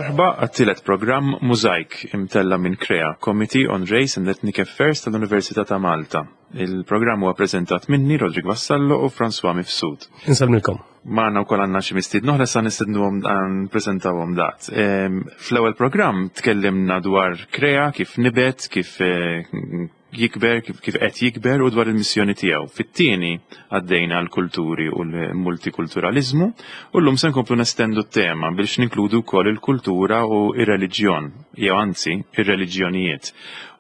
Merħba għat-tielet programm Mużajk imtella' minn CREA, Committee on Race and Ethnic Affairs tal-Università ta' Malta. Il-programm huwa preżentat minni, Roderick Vassallo u François Mifsud. Insellmilkom. Magħna wkoll għandna xi mistiedna oħra sa nistednuhom npreżentawhom daqt. Fl-ewwel programm tkellimna dwar CREA, kif nibet, kif eh, jikber, kif qed jikber u dwar il-missjoni tiegħu. Fit-tieni għaddejna l-kulturi u l-multikulturaliżmu u llum se nkomplu nestendu t-tema biex ninkludu wkoll il-kultura u ir-reliġjon, jew anzi ir-reliġjonijiet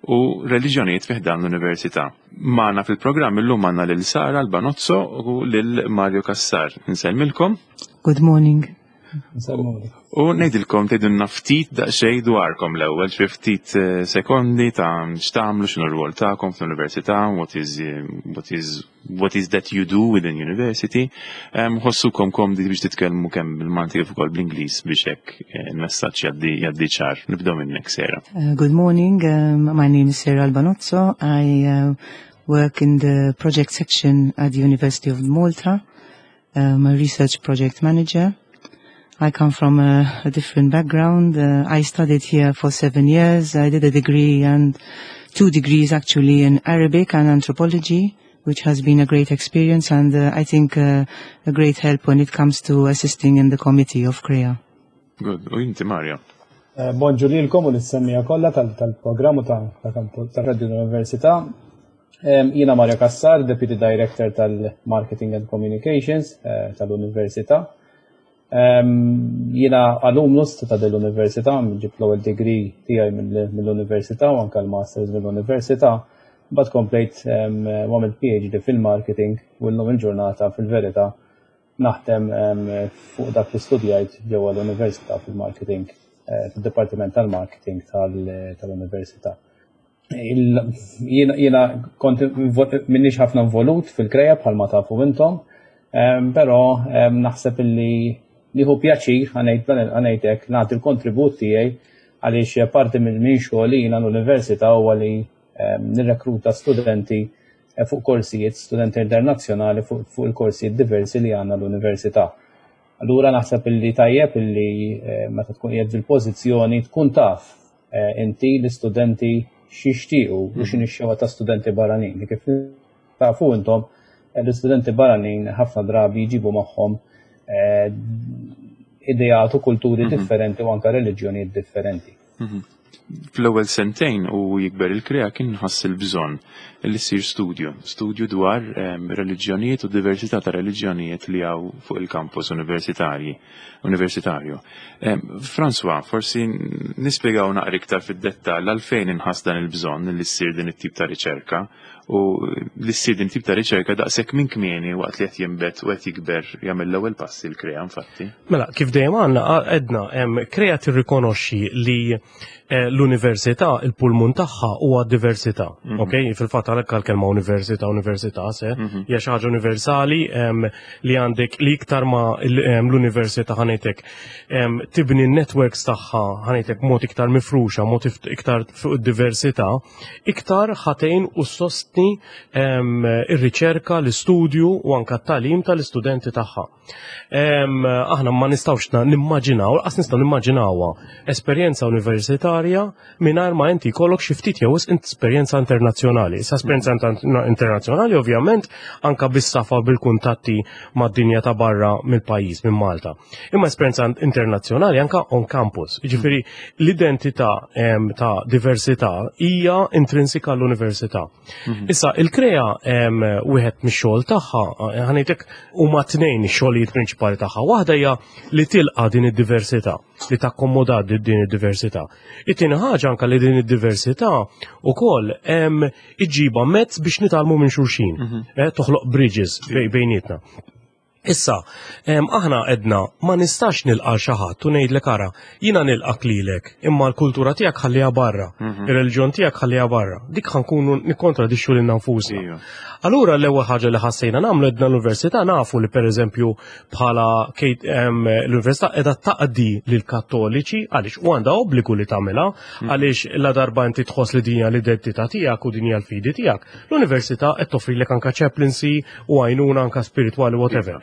u reliġjonijiet fi ħdan l-università. Magħna fil-programm illum għandna lil Sara Albanozzo u lil Mario Cassar. Insellmilkom. Good morning. U ngħidilkom tgħidulna ftit daqsxejn dwarkom l-ewwel, xi ftit eh, sekondi ta' x'tagħmlu x'inhu r-rwol tagħkom fl-università, what is eh, what is what is that you do within university. Ħossukom komdi biex titkellmu kemm bil-Malti kif ukoll bl-Ingliż biex hekk eh, il-messaġġ jgħaddi jgħaddi ċar. Nibdew minnek Sera. Uh, good morning, um, my name is Sarah Albanozzo. I uh, work in the project section at the University of Malta. I'm a research project manager. I come from a, a different background. Uh, I studied here for seven years. I did a degree and two degrees actually in Arabic and anthropology, which has been a great experience and uh, I think uh, a great help when it comes to assisting in the committee of CREA. Good. U inti Mario? Eh, bonġu lilkom u lis-semmija kollha tal-programm tal-Radio Università. Jiena Mario Cassar, Deputy Director tal-Marketing and Communications eh, tal-Università. Jiena alumnus ta' dell-Università, ġib l-ewwel degree tiegħi mill-Università u anke l-Masters mill-Università. Mbagħad komplejt u għamilt PhD fil-marketing u llum il-ġurnata fil-verità naħdem fuq dak li studjajt ġewwa l-Università fil-marketing, eh, fil-Dipartiment tal-Marketing tal-Università. Jiena kont minnix ħafna involut fil-kreja bħalma tafu intom, però naħseb illi nieħu pjaċir ħanejtek nagħti l-kontribut tiegħi għaliex parti minn minn xogħli jiena l-università huwa li nirrekruta studenti eh, fuq korsijiet, studenti internazzjonali fuq il-korsijiet diversi li għandna l-università. Allura naħseb illi tajjeb illi eh, meta tkun qiegħed fil-pożizzjoni tkun taf eh, inti l-istudenti x'jixtiequ u mhm. x'inhi x-xewqa ta' studenti barranin. Li kif tafu intom eh, l-istudenti barranin ħafna drabi jġibu magħhom eh, ideat u kulturi mhm. differenti u anka reliġjonijiet differenti. Mhm. Fl-ewwel sentejn u jikber il-krea kien ħass il-bżonn li ssir studju, studju dwar ehm, reliġjonijiet u diversità ta' reliġjonijiet li hawn fuq il-kampus universitarji. Universitarju. François, forsi nispjegaw naqra iktar fid-dettall għalfejn inħass dan il-bżonn li ssir din it-tip ta' riċerka u li ssir din tip ta' riċerka daqshekk minn kmieni waqt li qed jinbet u qed jikber jagħmel l-ewwel passi l-krea infatti. Mela, kif dejjem għandna għedna krea tirrikonoxxi li Eh, l-università, il-pulmun tagħha huwa diversità. Mhm. Ok, fil-fatt għalhekk għall-kelma università, università se, mhm. hija xi ħaġa universali li għandek li iktar ma l-università ħanejtek tibni n-networks tagħha ħanejtek mod iktar mifruxa, mod iktar fuq id-diversità, iktar ħatejn u sostni ir-riċerka, l-istudju u anka t-tagħlim tal-istudenti tagħha. Aħna ma nistawx nimmaġinaw, qas nistgħu nimmaġinawha esperjenza universitarja mingħajr ma inti jkollok xi ftit jew esperjenza internazzjonali. Issa esperjenza internazzjonali ovvjament anka bis-safa bil-kuntatti mad-dinja ta' barra mill-pajjiż minn Malta. Imma esperjenza internazzjonali anka on campus. Jiġifieri l-identità ta' diversità hija intrinsika l-università. Mhm. Issa, il-krea wieħed mix-xogħol tagħha, eh, ħanejtek huma tnejn ix-xogħlijiet prinċipali tagħha. Waħda hija li tilqa' din id-diversità, li takkomoda din id-diversità. It-tieni ħaġa anka li din id-diversità ukoll iġġiba mezz biex nitgħallmu minn xulxin, mhm. eh, toħloq bridges bejnietna. Issa, aħna edna ma nistax nilqa' xi ħadd u ngħidlek ara, jiena nilqak lilek, imma l-kultura tiegħek ħalliha barra, mhm. ir-reliġjon tiegħek ħalliha barra. Dik ħankunu nikkontradixxu lilna nfusna. Allura l-ewwel ħaġa li ħassejna nagħmlu edna l-università nafu li pereżempju bħala l-università qiegħda taqdi lill-Kattoliċi għaliex u għandha obbligu li tagħmilha mhm. għaliex la darba inti tħoss li din hija l-identità tiegħek u din hija l-fidi tiegħek. L-università qed toffrilek anka chaplaincy u għajnuna anka spiritwali whatever.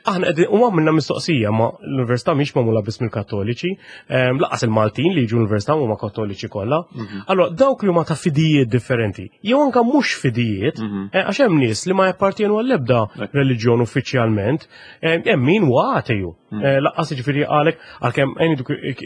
Aħna qegħdin u għamilna mistoqsija, ma l-università mhix magħmula biss mill-Kattoliċi, lanqas il-Maltin li jiġu l-università huma Kattoliċi kollha. Allora dawk li huma ta' fidijiet differenti, jew anka mhux fidijiet, għax hemm nies li ma jappartienu għall-ebda reliġjon uffiċjalment, hemm min huwa ateju. Lanqas, jiġifieri, għalek għalkemm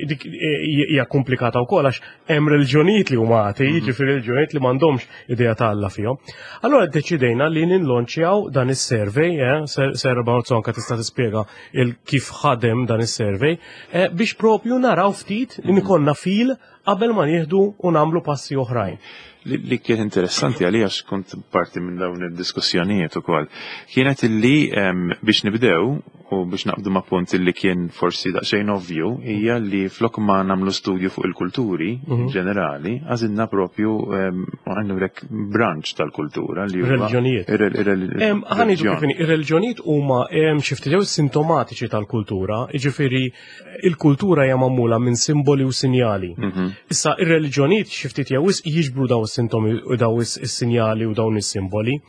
dik hija komplikata wkoll għax hemm reliġjonijiet li huma atei, jiġifieri reliġjonijiet li m'għandhomx idea ta' Alla fihom. Allora ddeċidejna li ninlonċjaw dan is-survey, Sarah Barzo anka tista' tispjega il kif ħadem dan is-survey, biex propju naraw ftit li ikollna feel qabel ma nieħdu u nagħmlu passi oħrajn. Li kien interessanti għalija, għax kont parti minn dawn id-diskussjonijiet ukoll, kienet illi biex nibdew u biex naqbdu ma' punt illi kien forsi daqsxejn ovvju, hija li flok ma nagħmlu studju fuq il-kulturi ġenerali, għażilna propju għandek branch tal-kultura li huwa Reliġjonijiet. Ħa ngħidu reliġjon. Kif inhi, ir-reliġjonijiet huma xi ftit jew sintomatiċi tal-kultura, jiġifieri il-kultura hija magħmula minn simboli u sinjali. Issa ir-reliġjonijiet xi ftit jew wisq jiġbru daw is-sintomi u daw is-sinjali u dawn is-simboli.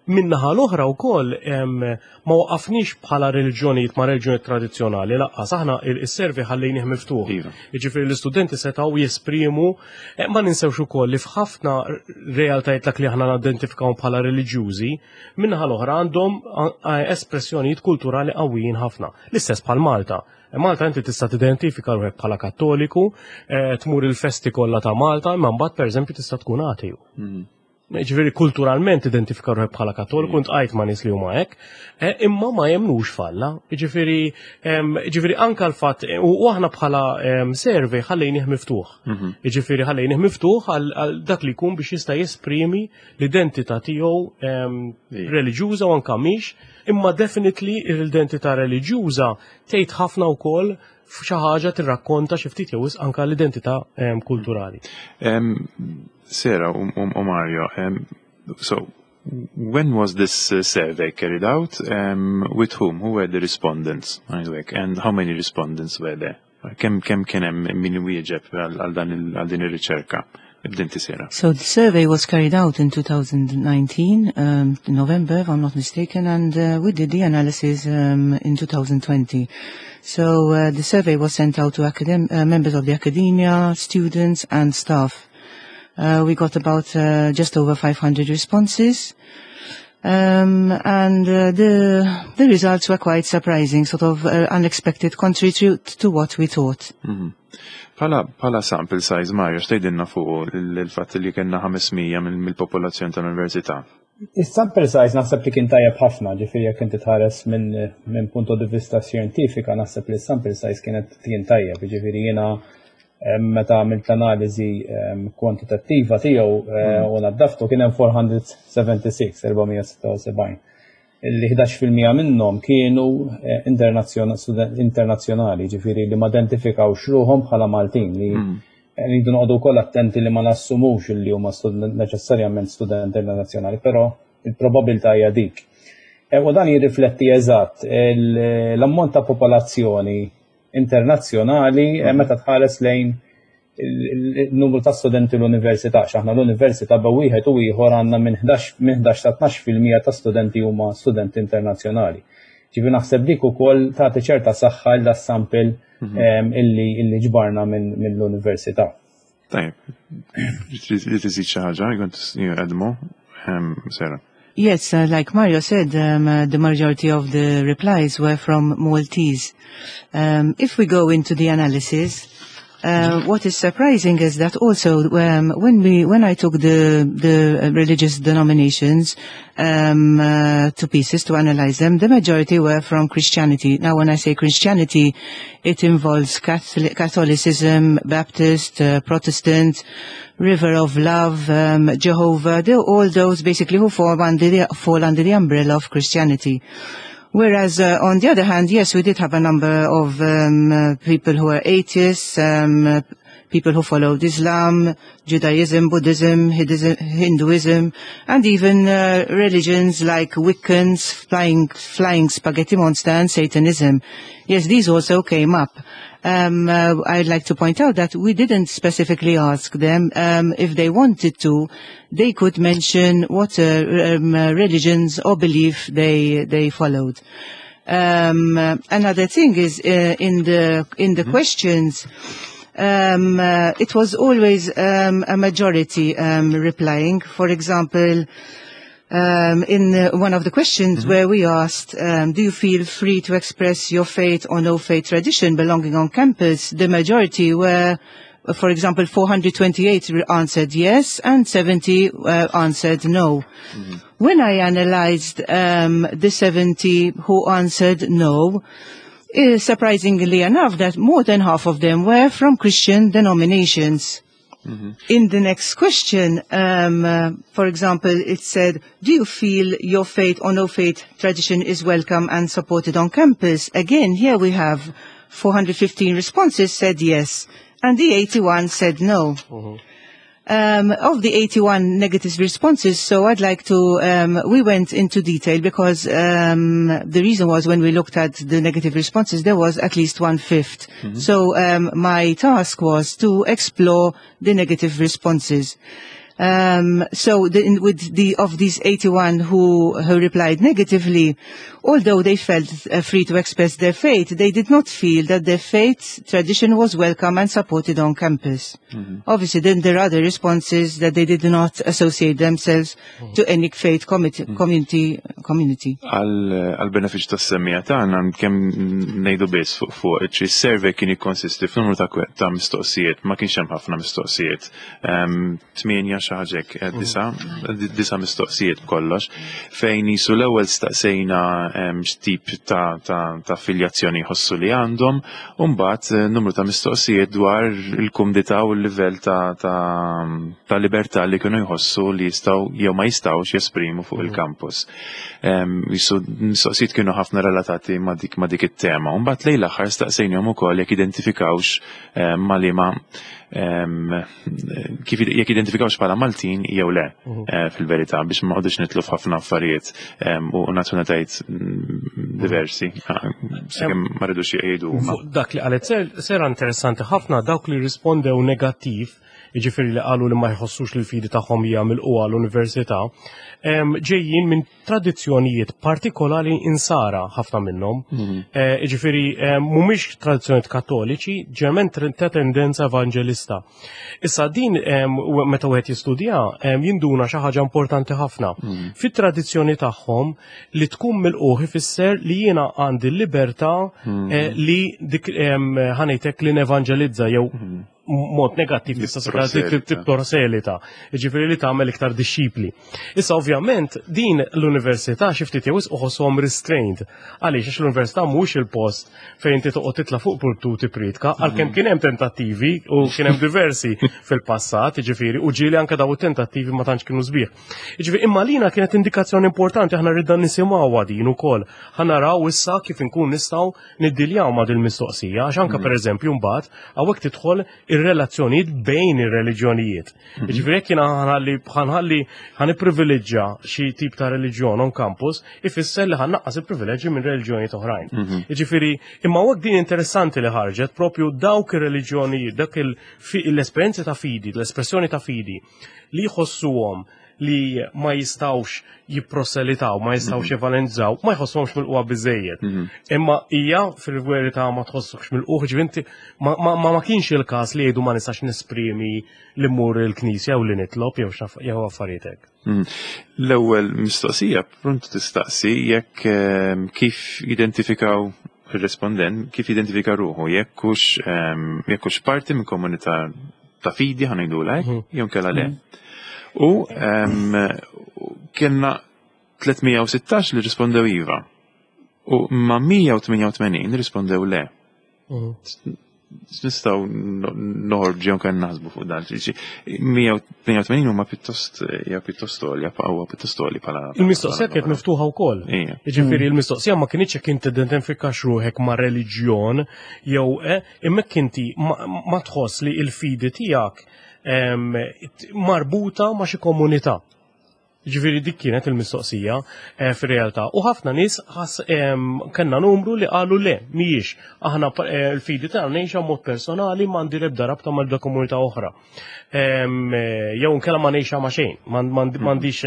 Min-naħa l-oħra wkoll ma waqafniex bħala reliġjonijiet ma' reliġjonijiet tradizzjonali, lanqas aħna il-survey ħallejnih miftuħ. Jiġifieri l-istudenti setgħu jesprimu, ma ninsewx ukoll li f'ħafna realtajiet dak li aħna nidentifikaw bħala reliġjużi, min-naħa l-oħra għandhom espressjonijiet kulturali qawwijin ħafna. L-istess bħal Malta. Malta inti tista' tidentifika ruħek bħala Kattoliku, tmur il-festi kollha ta' Malta, imma mbagħad, pereżempju, tista' tkun ateju. Ġifieri kulturalment identifika ruħek bħala Kattoliku, iltqajt ma' nies li huma hekk, imma ma jemnux f'Alla. Ġifieri anka l-fatt, u aħna bħala survey ħallejnih miftuħ. Ġifieri ħallejnih miftuħ għal dak li jkun biex jista' jesprimi l-identità tiegħu reliġjuża u anka mhix, imma definitely l-identità reliġjuża tgħid ħafna wkoll f'xi ħaġa, tirrakkonta xi ftit jew wisq anka l-identità kulturali. Sarah u Mario, so when was this survey carried out? With whom? Who were the respondents? And how many respondents were there? Kemm kien hemm min wieġeb għal din ir-riċerka? Ibda inti, Sarah. So the survey was carried out in 2019, in November, if I'm not mistaken, and we did the analysis in 2020. So the survey was sent out to members of the academia, students and staff. We got about just over 500 responses. And the results were quite surprising, sort of unexpected, contrary to what we thought. Bħala sample size, Mario, x'tgħidilna fuq il-fatt li kellna 500 mill-popolazzjoni tal-università? Is-sample size naħseb li kien tajjeb ħafna, ġifieri jekk inti tħares minn punto di vista xjentifika, naħseb li s-sample size kien tajjeb, ġifieri jiena meta għamilt l-analiżi kwantitattiva tiegħu u naddaftu, kien hemm 476, 476. Illi 11% minnhom kienu internazzjonali, ġifieri li ma identifikawx ruħhom bħala Maltin, li rridu noqogħdu wkoll attenti li ma nassumux li huma neċessarjament studenti internazzjonali, però il-probabilità hija dik. U dan jirrifletti eżatt l-ammont ta' popolazzjoni internazzjonali meta tħares lejn il-numru ta' studenti l-università. X'aħna l-università bejn wieħed u ieħor għandna minn 11 sa 12% ta' studenti huma studenti internazzjonali. Ġifieri naħseb dik ukoll tagħti ċerta saħħa l sample illi ġbarna mill-università. Tajjeb, li tiżid xi ħaġa, you want to add more? Sarah. Yes, like Mario said, the majority of the replies were from Maltese. If we go into the analysis, what is surprising is that also when I took the religious denominations to pieces to analyze them, the majority were from Christianity. Now, when I say Christianity, it involves Catholicism, Baptist, Protestant, River of Love, Jehovah, all those basically who fall under the umbrella of Christianity. Whereas on the other hand, yes, we did have a number of people who were atheists, people who followed Islam, Judaism, Buddhism, Hinduism, and even religions like Wiccans, flying spaghetti monster, and Satanism. Yes, these also came up. I'd like to point out that we didn't specifically ask them. If they wanted to, they could mention what religions or belief they followed. Another thing is in the questions, it was always a majority replying. For example, in one of the questions where we asked, "Do you feel free to express your faith or no faith tradition belonging on campus?" The majority were, for example, 428 answered yes and 70 answered no. When I analyzed the 70 who answered no, surprisingly enough, that more than half of them were from Christian denominations. In the next question, for example, it said, "Do you feel your faith or no faith tradition is welcome and supported on campus?" Again, here we have 415 responses said yes, and the 81 said no. Of the 81 negative responses, so I'd like to, we went into detail because the reason was when we looked at the negative responses, there was at least one-fifth. So my task was to explore the negative responses. So with the, of these 81 who replied negatively, although they felt free to express their faith, they did not feel that their faith tradition was welcome and supported on campus. Obviously, then there are other responses that they did not associate themselves to any faith community. Għal benefiċċju tas-semmiegħa tagħna kemm ngħidu biss fuq is-survey kien jikkonsisti f'numru ta' mistoqsijiet, ma kienx hemm ħafna mistoqsijiet. Tmienja xi ħaġa hekk, disa' mistoqsijiet b'kollox, fejn jisu l-ewwel staqsejna x'tip ta' affiljazzjoni jħossu li għandhom, u mbagħad numru ta' mistoqsijiet dwar il-kumdità u l-livell ta' libertà li kienu jħossu li jistgħu jew ma jistgħux jesprimu fuq il-campus. Jisu mistoqsijiet kienu ħafna relatati ma' dik it-tema. U mbagħad lejn l-aħħar staqsejnihom ukoll jekk identifikawx ma' liema kif jekk identifikawx bħala Maltin jew le fil-verità biex ma noqogħdux nidħlu f'ħafna affarijiet u nazzjonalitajiet diversi sakemm ma rridux jgħidu huma. Fuq dak li qalet Sarah interessanti ħafna dawk li rispondew negattiv, jiġifieri li qalu li ma jħossux li l-fidi tagħhom hija milqugħa l-università, ġejjin minn tradizzjonijiet partikolari insara ħafna minnhom. Jiġifieri mhumiex tradizzjonijiet kattoliċi, ġeneralment ta' tendenza evanġelista. Issa din meta wieħed jistudja jinduna xi ħaġa importanti ħafna. Fit-tradizzjoni tagħhom li tkun milqugħ ifisser li jiena għandi l-libertà li dik ħa ngħidlek li nevanġelizza jew mod negattiv tista' Tipproselita. Tipproselita, jiġifieri li tagħmel iktar dixxipli. Issa ovvjament din l-università xi ftit jew wisq uħosshom restrained. Għaliex? Għax l-università mhux il-post fejn inti toqgħod titla' fuq pulptu tipritka, għalkemm kien hemm tentattivi u kien hemm diversi fil-passat, jiġifieri, u ġieli anke daw it-tentattivi ma tantx kienu sbieħ. Jiġifieri imma lina kienet indikazzjoni importanti, aħna ridna nisimgħuha din ukoll. Ħa naraw issa kif inkun nistgħu niddiljaw ma' din mistoqsija, għax anke pereżempju mbagħad hawnhekk tidħol ir-relazzjonijiet bejn ir-reliġjonijiet. Jiġifieri jekk jiena ħanħalli ħa nipprivileġġa xi tip ta' reliġjon on campus, ifisser li ħa nnaqqas il-privileġġi minn reliġjonijiet oħrajn. Jiġifieri imma hawnhekk din interessanti li ħarġet propju dawk ir-reliġjonijiet, dak l-esperjenza ta' fidi, l-espressjoni ta' fidi li jħossuhom li ma jistawx jipproselitaw, ma jistawx evanġelizzaw, ma jħossuhomx milqugħa biżejjed. Imma hija fil-verità ma tħossokx milqugħ, ġivinti ma kienx il-każ li jgħidu ma nistax nesprimi li mmur il-knisja u li nitlob jew jew affarijiet hekk. L-ewwel mistoqsija pronto tistaqsi jekk kif identifikaw il-respondent, kif identifika ruħu, jekk hux parti minn komunità ta' fidi ħa ngħidu hekk, jew kella le. U kellna 316 li rispondew iva. U ma 188 rispondew le. Nistgħu noħorġu jew kan naħsbu fuq dan. 188 huma pjuttost hija pjuttost għolja, huwa pjuttost għoli bħala. Il-mistoqsija kienet miftuħa wkoll. Jiġifieri il-mistoqsija ma kienx jekk inti identifikax ruħek ma' reliġjon jew imma jekk inti ma tħoss li l-fidi tiegħek marbuta ma' xi komunità. Ġifieri dik kienet il-mistoqsija eh, fir-realtà. U ħafna nies kellna numru li qalu le, mhijiex. Aħna eh, l-fidi tagħna ngħixha mod personali m'għandi l-ebda rabta mal-ebda komunità oħra. Eh, jew nkella ma ngħixha ma' xejn, m'għandix.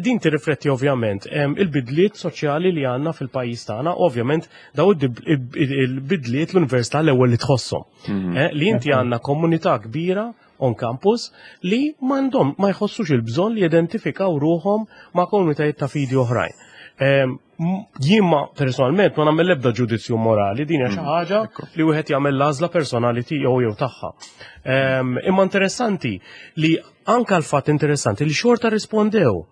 Din tirrifletti ovvjament il-bidliet soċjali li għandna fil-pajjiż tagħna, ovvjament daw il-bidliet l-università l-ewwel li tħosshom. Mhm. Li inti għandna komunità kbira on campus li m'għandhom ma jħossux il-bżonn li jidentifikaw ruħhom ma' komunitajiet ta' fidi oħrajn. Ehm, jien ma personalment ma nagħmel l-ebda ġudizzju morali, din hija xi mm, ħaġa li wieħed jagħmel l-għażla personali tiegħu jew tagħha. Ehm, imma interessanti li anka l-fatt interessanti li xorta rispondew.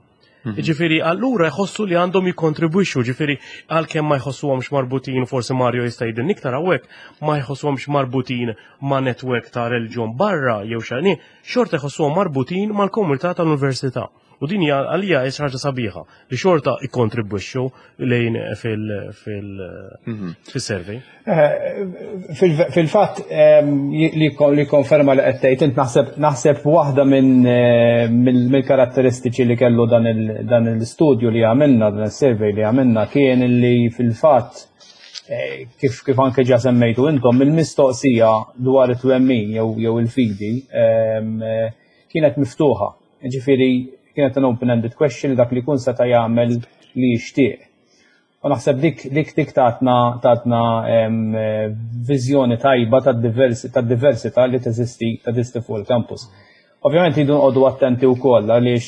Mhm. Ġifiri, allura jħossu li għandhom jikontribwixxu, ġifiri, għalkemm ma jħossuhomx marbutin, forsi Mario jista' jgħidilna iktar hawnhekk, ma jħossuhomx marbutin ma' netwerk ta' reliġjon barra jew xani, xorta jħossuhom marbutin mal-komunità tal-università. U din hija għalija hija xi ħaġa sabiħa li xorta ikkontribwixxu lejn mhm. fil-survey. Eh, fil-fatt li konferma li qed tgħid int naħseb naħseb waħda minn eh, mill-karatteristiċi li kellu dan il-studju li għamilna, dan il-survey li għamilna kien li fil-fatt eh, kif kif anke ġa semmejtu intom il-mistoqsija dwar it-twemmin jew il-fidi kienet miftuħa. Ġifieri kienet an open-ended question li dak li jkun seta' jagħmel li jixtieq. U naħseb dik dik dik tatna tatna viżjoni tajba tad-diversità li teżisti teżisti fuq il-campus. Ovvjament jridu nqogħdu attenti wkoll għaliex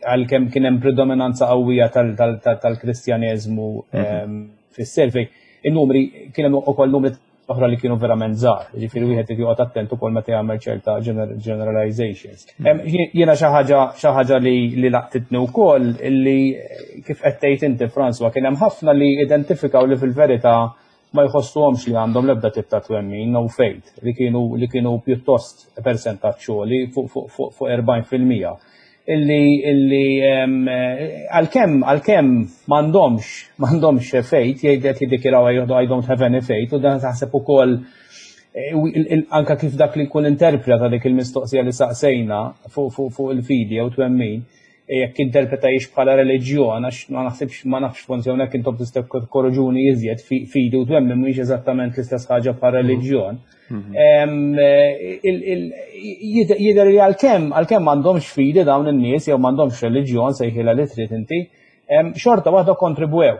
għalkemm kien hemm predominanza qawwija tal-Kristjaneżmu mhm. fis-survey, in-numri kien hemm ukoll numri oħra li kienu verament żgħar. Ġifieri wieħed irid joqgħod attent ukoll meta jagħmel ċerta generalizations. Jiena xi ħaġa xi ħaġa li li laqtitni wkoll li kif qed tgħid inti François kien hemm ħafna li identifikaw li fil-verità ma jħossuhomx li għandhom l-ebda tip ta' twemmin no faith li kienu li kienu pjuttost persentaġġ li fuq fuq fuq 40%. Illi illi għalkemm għalkemm m'għandhomx m'għandhomx faith jgħid qed jiddikjaraw I don't have any faith u dan taħseb ukoll eh, anka kif dak li jkun interpreta dik il-mistoqsija li saqsejna fuq fuq fuq il-fidi jew twemmin eh, jekk interpreta jiex bħala reliġjon għax ma naħsibx ma nafx forsi hawnhekk intom tistgħu korroġuni iżjed fidi u twemmin mhijiex eżattament l-istess ħaġa bħala mhm. reliġjon. Mhm. Jidher li għalkemm għalkemm m'għandhomx fidi dawn in-nies jew m'għandhomx reliġjon sejħilha li trid inti, xorta waħda kontribwew.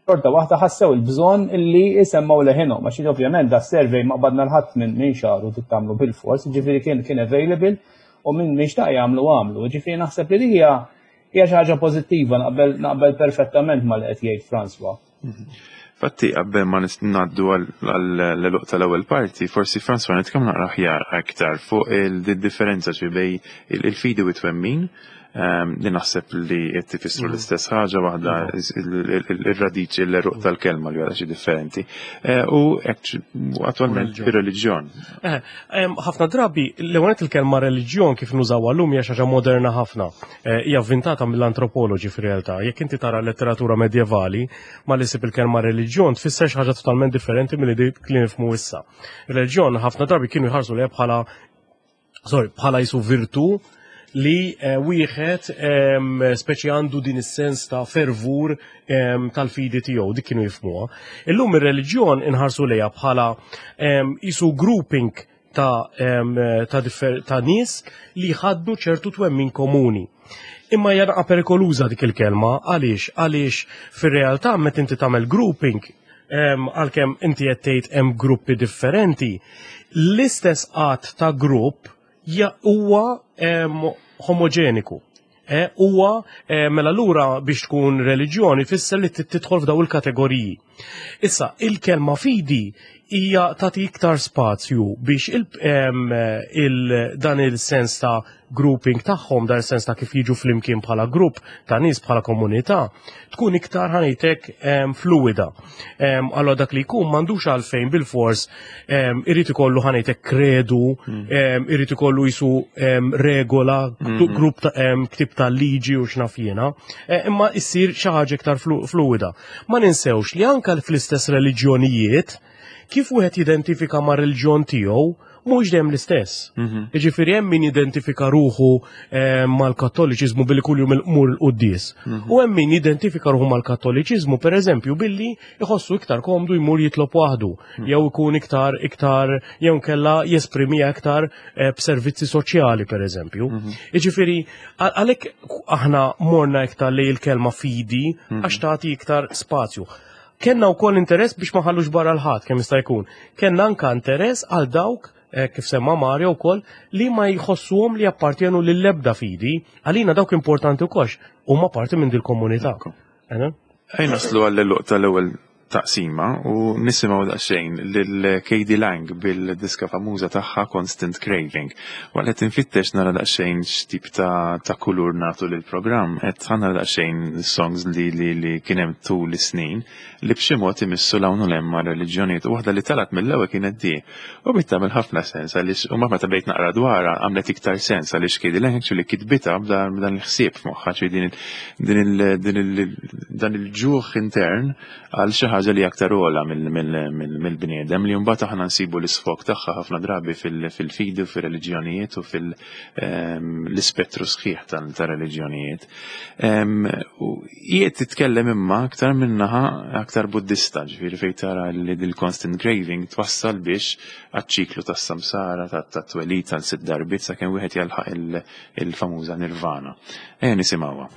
Xorta waħda ħassew il-bżonn illi jisemmaw leħinhom, għax ovvjament da survey ma qbadna l-ħadd minn minn xahar u tagħmlu bil-fors, ġifieri kien kien available u minn min xtaq jagħmlu għamlu. Ġifieri naħseb li hija hija xi ħaġa pożittiva naqbel naqbel perfettament mal qed jgħid François. Fatti, qabel ma ngħaddu għall-eluq tal-ewwel parti, forsi François nitkellmu naqra aħjar aktar fuq il-differenza ġi bej il-fidi u t-twemmin ehm, li naħseb li qed tifissru mm. l-istess ħaġa waħda ir-radiċi l-eruq tal-kelma li għala xi differenti. Eh, u attwalment ir-reliġjon. Eh, ħafna drabi l-ewwel il-kelma reliġjon kif nużawha llum hija xi ħaġa moderna ħafna. Eh, hija avvintata mill-antropoloġi fir-realtà. Jekk inti tara letteratura medjevali, ma li sib il-kelma reliġjon tfisser xi ħaġa totalment differenti milli dik li nifhmu issa. Reliġjon ħafna drabi kienu jħarsu lejha bħala sorry, bħala jisu virtu li eh, wieħed speċi għandu din is-sens ta' fervur tal-fidi tiegħu, dik kienu jifhmuha. Illum ir-reliġjon inħarsu lejha bħala jisu grouping ta', ta, ta nies li jħaddu ċertu twemmin komuni. Imma hija naqa' perikoluża dik il-kelma, għaliex? Għaliex fir-realtà meta inti tagħmel grouping, għalkemm inti qed tgħid hemm gruppi differenti, l-istess qatt ta' grupp huwa homoġeniku. Eh, huwa eh, mela lura biex tkun reliġjoni fisser li tidħol f'daw il-kategoriji. Issa, il-kelma fidi hija tagħti iktar spazju biex il, il, dan il-sens ta' grouping tagħhom, dan il-sens ta' kif jiġu flimkien bħala grupp ta' nies bħala komunità, tkun iktar ħanejtek fluida. Allora dak li jkun m'għandux għalfejn bil-fors irid ikollu ħanejtek kredu, hmm. irid ikollu jisu regola, hmm. grupp ta' ktib ta' liġi u x'naf jiena, e, imma issir xi ħaġa iktar fluida. Ma ninsewx li anka fl-istess reliġjonijiet. Kif wieħed jidentifika ma' reliġjon tiegħu mhux dejjem l-istess. Jiġifieri hemm min jidentifika ruħu eh, mal-Kattoliċiżmu billi kuljum imur il-quddies. U hemm min jidentifika ruħu mal-Kattoliċiżmu pereżempju billi jħossu iktar komdu jmur jitlob waħdu, jew ikun iktar iktar jew kella jesprimiha iktar eh, b'servizzi soċjali pereżempju. Jiġifieri għalhekk aħna morna iktar lejn il-kelma fidi għax tagħti iktar spazju. Kenna wkoll interess biex ma ħallux barra l-ħadd kemm jista' jkun. Kenna anka interess għal dawk eh, kif semma Mario wkoll li ma jħossuhom li jappartjenu lill-ebda fidi, għalina dawk importanti wkoll huma parti minn dil-komunità. Ejja naslu għall-għeluq tal-ewwel taqsima u nisimgħu daqsxejn lil K.D. Lang bil-diska famuża tagħha Constant Craving. Waqt qed infittex nara daqsxejn x'tip ta', ta kulur nagħtu lill-programm, qed nara daqsxejn songs li li, li kien hemm tul is-snin li b'xi mod imissu 'l hawn u 'l hemm ma' reliġjonijiet u waħda li talat mill-ewwel kienet di. U bdiet tagħmel ħafna sens għaliex u meta bdejt naqra dwarha għamlet iktar sens għaliex K.D. Lang actually kitbitha b'dan il-ħsieb f'moħħha, ċi din din il dan il-ġuħ intern għal xi ħaġa li aktar ogħla mill-bniedem li mbagħad aħna nsibu l-isfog tagħha ħafna drabi fil-fidi u fir-reliġjonijiet u fil-ispettru sħiħ tal-reliġjonijiet. U jiet titkellem imma aktar minnaħa aktar buddista, ġifieri fejn tara li dil-constant craving twassal biex għaċ-ċiklu tas-samsara, tat-twelid tal-sitt darbiet sakemm wieħed jalħaq il-famuża nirvana. Ejja nisimgħuha.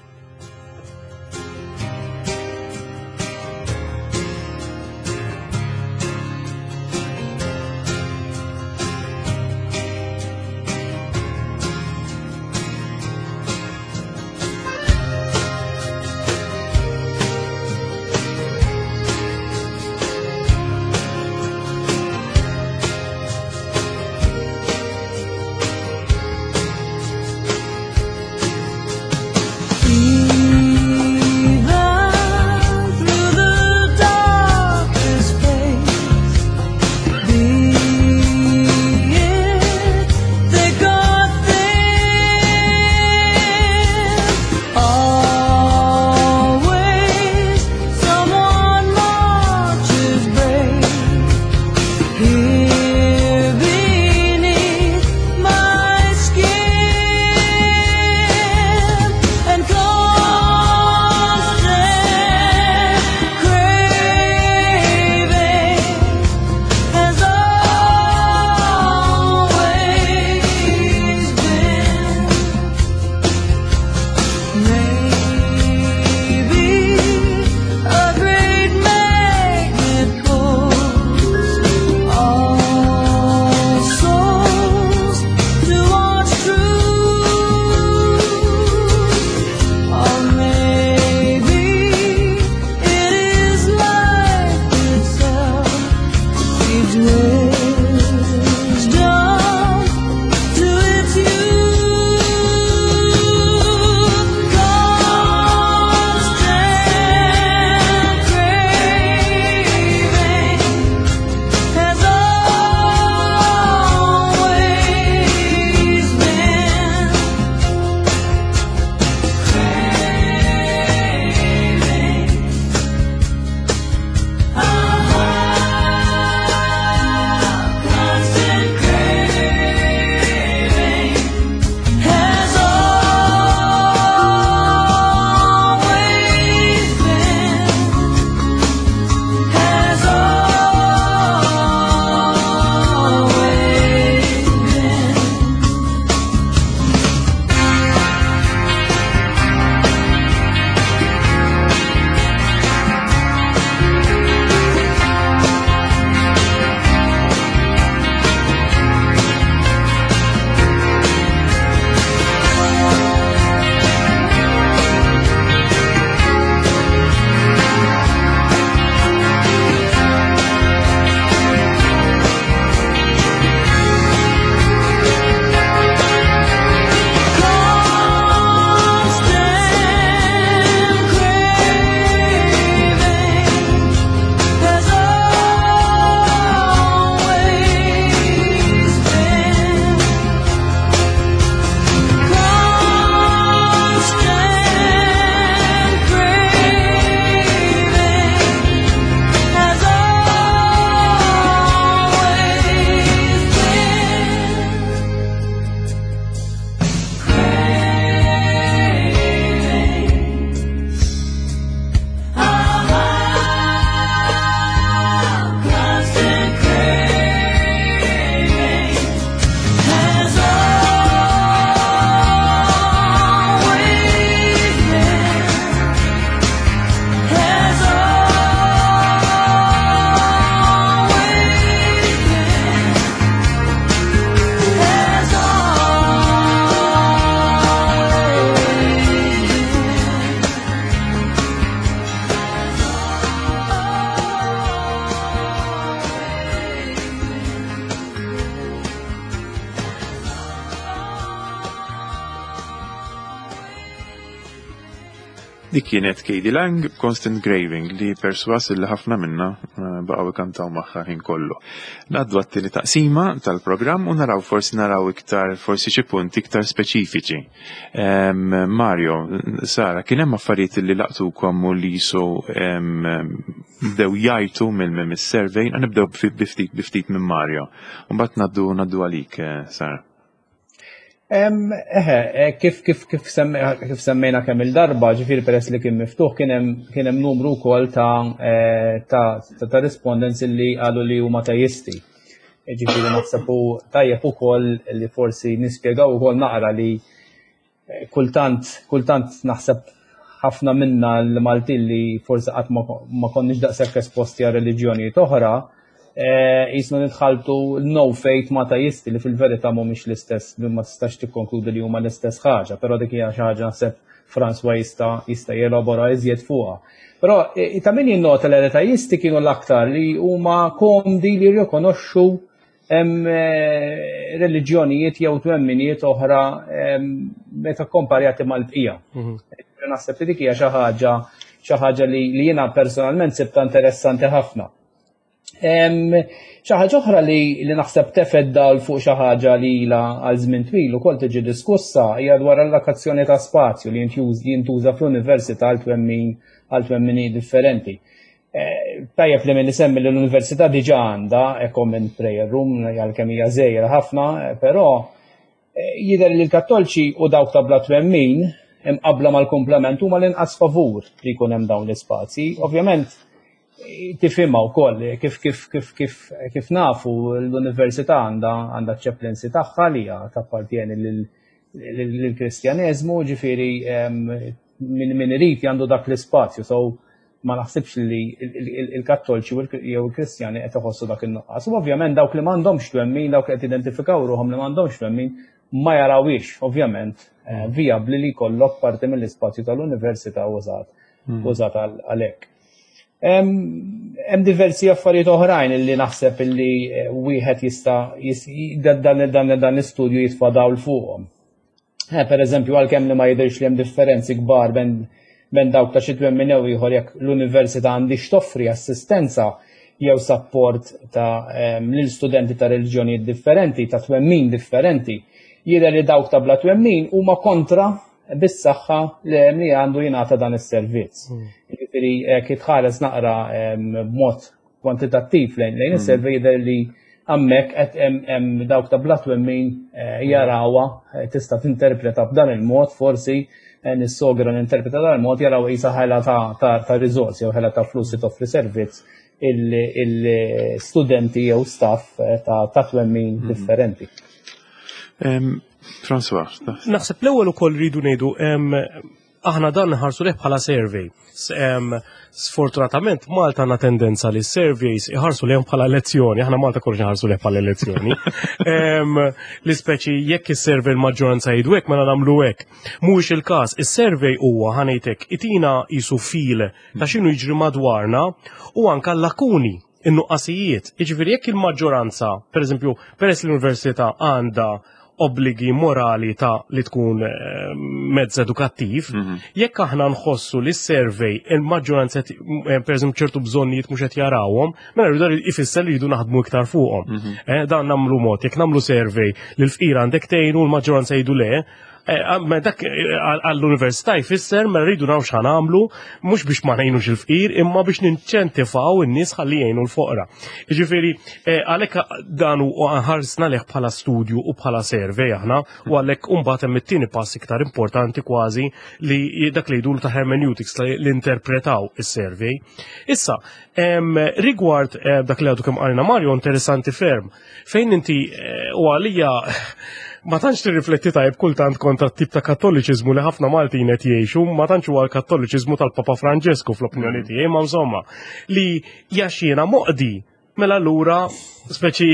Dik kienet Katie Lang Constant Graving li perswas li ħafna minna eh, baqgħu ikantaw magħha ħin kollu. Ngħaddu għat-tieni taqsima tal-programm u naraw forsi naraw iktar forsi xi punti iktar speċifiċi. Mario, Sara, kien hemm affarijiet li laqtukom u li jisu bdew jajtu mill-survey, nibdew biftit biftit minn Mario. Mbagħad ngħaddu ngħaddu għalik, eh, Sara. Eħe, eh, kif kif kif kif semmejna kemm il-darba, ġifieri peress li kien miftuħ kien hemm kien hemm numru wkoll ta' eh, ta' ta' respondents li qalu li huma teisti. E, ġifieri naħseb tajjeb ukoll li forsi nispjegaw ukoll naqra li eh, kultant kultant naħseb ħafna minna l-Maltin li forsi qatt ma konniex daqshekk esposti għal reliġjonijiet oħra, eh, jisna nitħaltu no faith ma teisti li fil-verità mhumiex l-istess, li ma tistax tikkonkludi li huma l-istess ħaġa, però dik hija xi ħaġa naħseb François jista' jista' jelabora iżjed fuqha. Però eh, ta' min jinnota li l-ateisti kienu l-aktar li huma komdi li jirrikonoxxu hemm eh, reliġjonijiet jew twemminijiet oħra meta komparjati mal-bqija. Mhm. Naħseb li dik hija xi ħaġa xi ħaġa li jiena personalment sibta interessanti ħafna. Xi ħaġa oħra li, li naħseb tefed dal fuq xi ħaġa li ilha għal żmien twil ukoll tiġi diskussa hija dwar allokazzjoni ta' spazju li jintuża fl-università għal twemmin għal twemmini differenti. Eh, tajjeb li minn isemmi li l-università diġà għandha a common prayer room għalkemm hija żgħira ħafna, eh, però eh, jidher li l-Kattolċi u dawk ta' bla twemmin imqabbla mal-komplement huma l-inqas favur li jkun hemm dawn l-ispazji. Ovvjament tifhimha wkoll kif kif kif kif kif nafu l-università għandha għandha chaplaincy tagħha li hija tappartjeni lill-Kristjaneżmu, ġifieri min min irid għandu dak l-ispazju. So ma naħsibx li il-Kattolċi jew il-Kristjani qed iħossu dak in-nuqqas. U ovvjament dawk li m'għandhomx twemmin, dawk li qed identifikaw ruħhom li m'għandhomx twemmin, ma jarawix ovvjament eh, vijabbli li jkollok parti mill-ispazju tal-università użat hmm. użat għalhekk. Hemm diversi affarijiet oħrajn li naħseb illi eh, wieħed jista' dan dan dan l-istudju jitfa' dawl fuqhom. Eh, per eżempju, għalkemm li ma jidhirx li hemm differenzi kbar ben dawk ta' xi twemmin jew ieħor jekk l-università għandix toffri assistenza jew support ta' lil studenti ta' reliġjonijiet differenti, ta' twemmin differenti, jidher li dawk ta' bla twemmin huma kontra bis-saħħa li għandu jingħata dan is-servizz. Hmm. Jiġifieri jekk tħares naqra b'mod kwantitattiv lejn lejn is-survey jidher li hemmhekk qed hemm dawk ta' bla twemmin eh, jarawha eh, tista' tinterpreta b'dan il-mod forsi eh, nissogra ninterpreta dan il-mod jaraw qisha ħela ta' riżorsi jew ħela ta' flus li toffri servizz il-studenti jew staff ta' twemmin mhm. differenti. François. Naħseb l-ewwel ukoll rridu ngħidu aħna dan nħarsu leh bħala survey. Sfortunatament Malta għandna tendenza li surveys iħarsu lehom bħala elezzjoni, aħna Malta kollox nħarsu leh bħala elezzjoni. Li speċi jekk is-survey l-maġġoranza jgħidu hekk mela nagħmlu hekk. Mhuwiex il-każ, is-survey huwa ħanejtek itina jisu fil ta' x'inhu jiġri madwarna u anka l-lakuni in-nuqqasijiet. Jiġifieri jekk il-maġġoranza, pereżempju, peress l-università għandha obbligi morali ta' li tkun eh, mezz edukattiv, mhm. jekk aħna nħossu li s-survey il-maġġoranza eh, pereżempju ċertu bżonnijiet mhux qed jarawhom, mela rridu ifisser li jridu naħdmu iktar fuqhom. Mhm. Eh, dan nagħmlu mod, jekk nagħmlu survey li l-fqir għandek tgħinu l-maġġoranza jgħidu le, Eh, ma dak eh, għall-università jfisser ma rridu naraw x'ħan għamlu, mhux biex ma ngħinux il-fqir, imma biex ninċentifaw in-nies ħalli jgħinu l-foqra. Jiġifieri eh, għalhekk dan u ħarsna leh bħala studju u bħala survey aħna u għalhekk imbagħad hemm it-tieni pass iktar importanti kważi li dak li jgħidulu ta' hermeneutics li interpretaw is-survey. Issa, rigward dak li għadu kemm qalna Mario interessanti ferm. Fejn inti eh, u għalija ma tantx tirrifletti tajb kultant kontra t-tip ta' kattoliċiżmu li ħafna Maltin qed jgħixu, ma tantx huwa l-kattoliċiżmu tal-Papa Franġesku fl-opinjoni mm. tiegħi, ma insomma, li jaxxiena moqdi mela allura speċi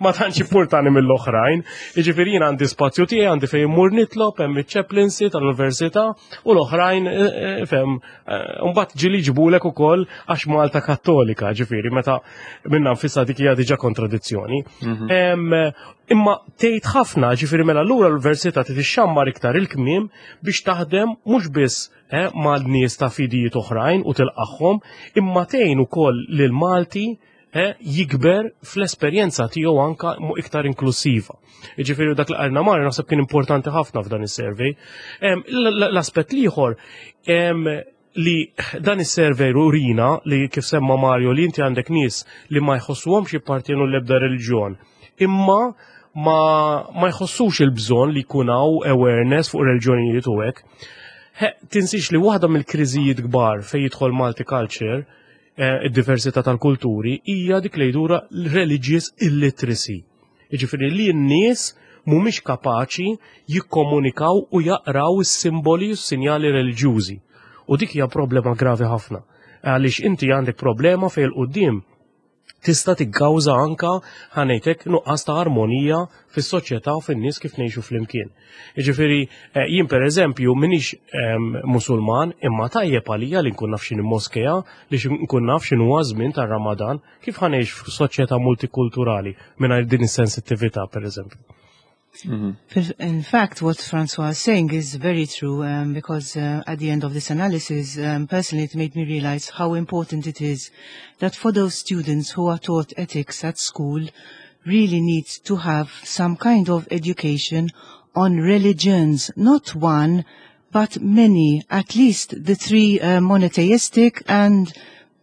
ma tantx importani mill-oħrajn. Jiġifieri jien għandi spazju tiegħi għandi fejn immur nitlob hemm iċ-chaplaincy tal-università u l-oħrajn eh, eh, fem Mbagħad ġieli ġbulek ukoll għax Malta Kattolika, ġifieri meta minna nfisha dik hija diġà kontradizzjoni. Mhm. Imma tgħid ħafna, ġifieri mela lura l-università trid ixxammar iktar il-kmiem biex taħdem mhux biss ma' nies ta' fidijiet oħrajn u tilqagħhom, imma tgħin ukoll lil Malti jikber fl-esperjenza tiegħu anka iktar inklusiva. Jiġifieri dak li qalna Mario naħseb kien importanti ħafna f'dan is-survey. L-aspett l-ieħor li dan is-survey urina li, kif semma Mario, li inti għandek nies li ma jħossuhomx jippartienu l-ebda reliġjon, imma ma jħossux il-bżonn li jkun hawn awareness fuq reliġjonijiet u hekk. Tinsix li waħda mill-kriżijiet kbar fejn jidħol multiculture, id-diversità tal-kulturi, hija dik li jdura religious illiteracy. Jiġifieri li n-nies mhumiex kapaċi jikkomunikaw u jaqraw is-simboli u s-sinjali reliġjużi. U dik hija problema gravi ħafna. Għaliex inti għandek problema fejn il-quddiem tista' tikkawża anka, ħa ngħidlek, nuqqas ta' armonija fis-soċjetà u fin-nies kif ngħixu flimkien. Jiġifieri jien, pereżempju, m'iniex Musulman, imma tajjeb għalija li nkun naf x'inhi moskea, li nkun naf x'inhu żmien tar-Ramadan. Kif ħa ngħix f'soċjetà multikulturali mingħajr din is-sensittività, pereżempju? In fact, what Francois is saying is very true because at the end of this analysis, personally, it made me realize how important it is that for those students who are taught ethics at school, really need to have some kind of education on religions, not one, but many, at least the three monotheistic and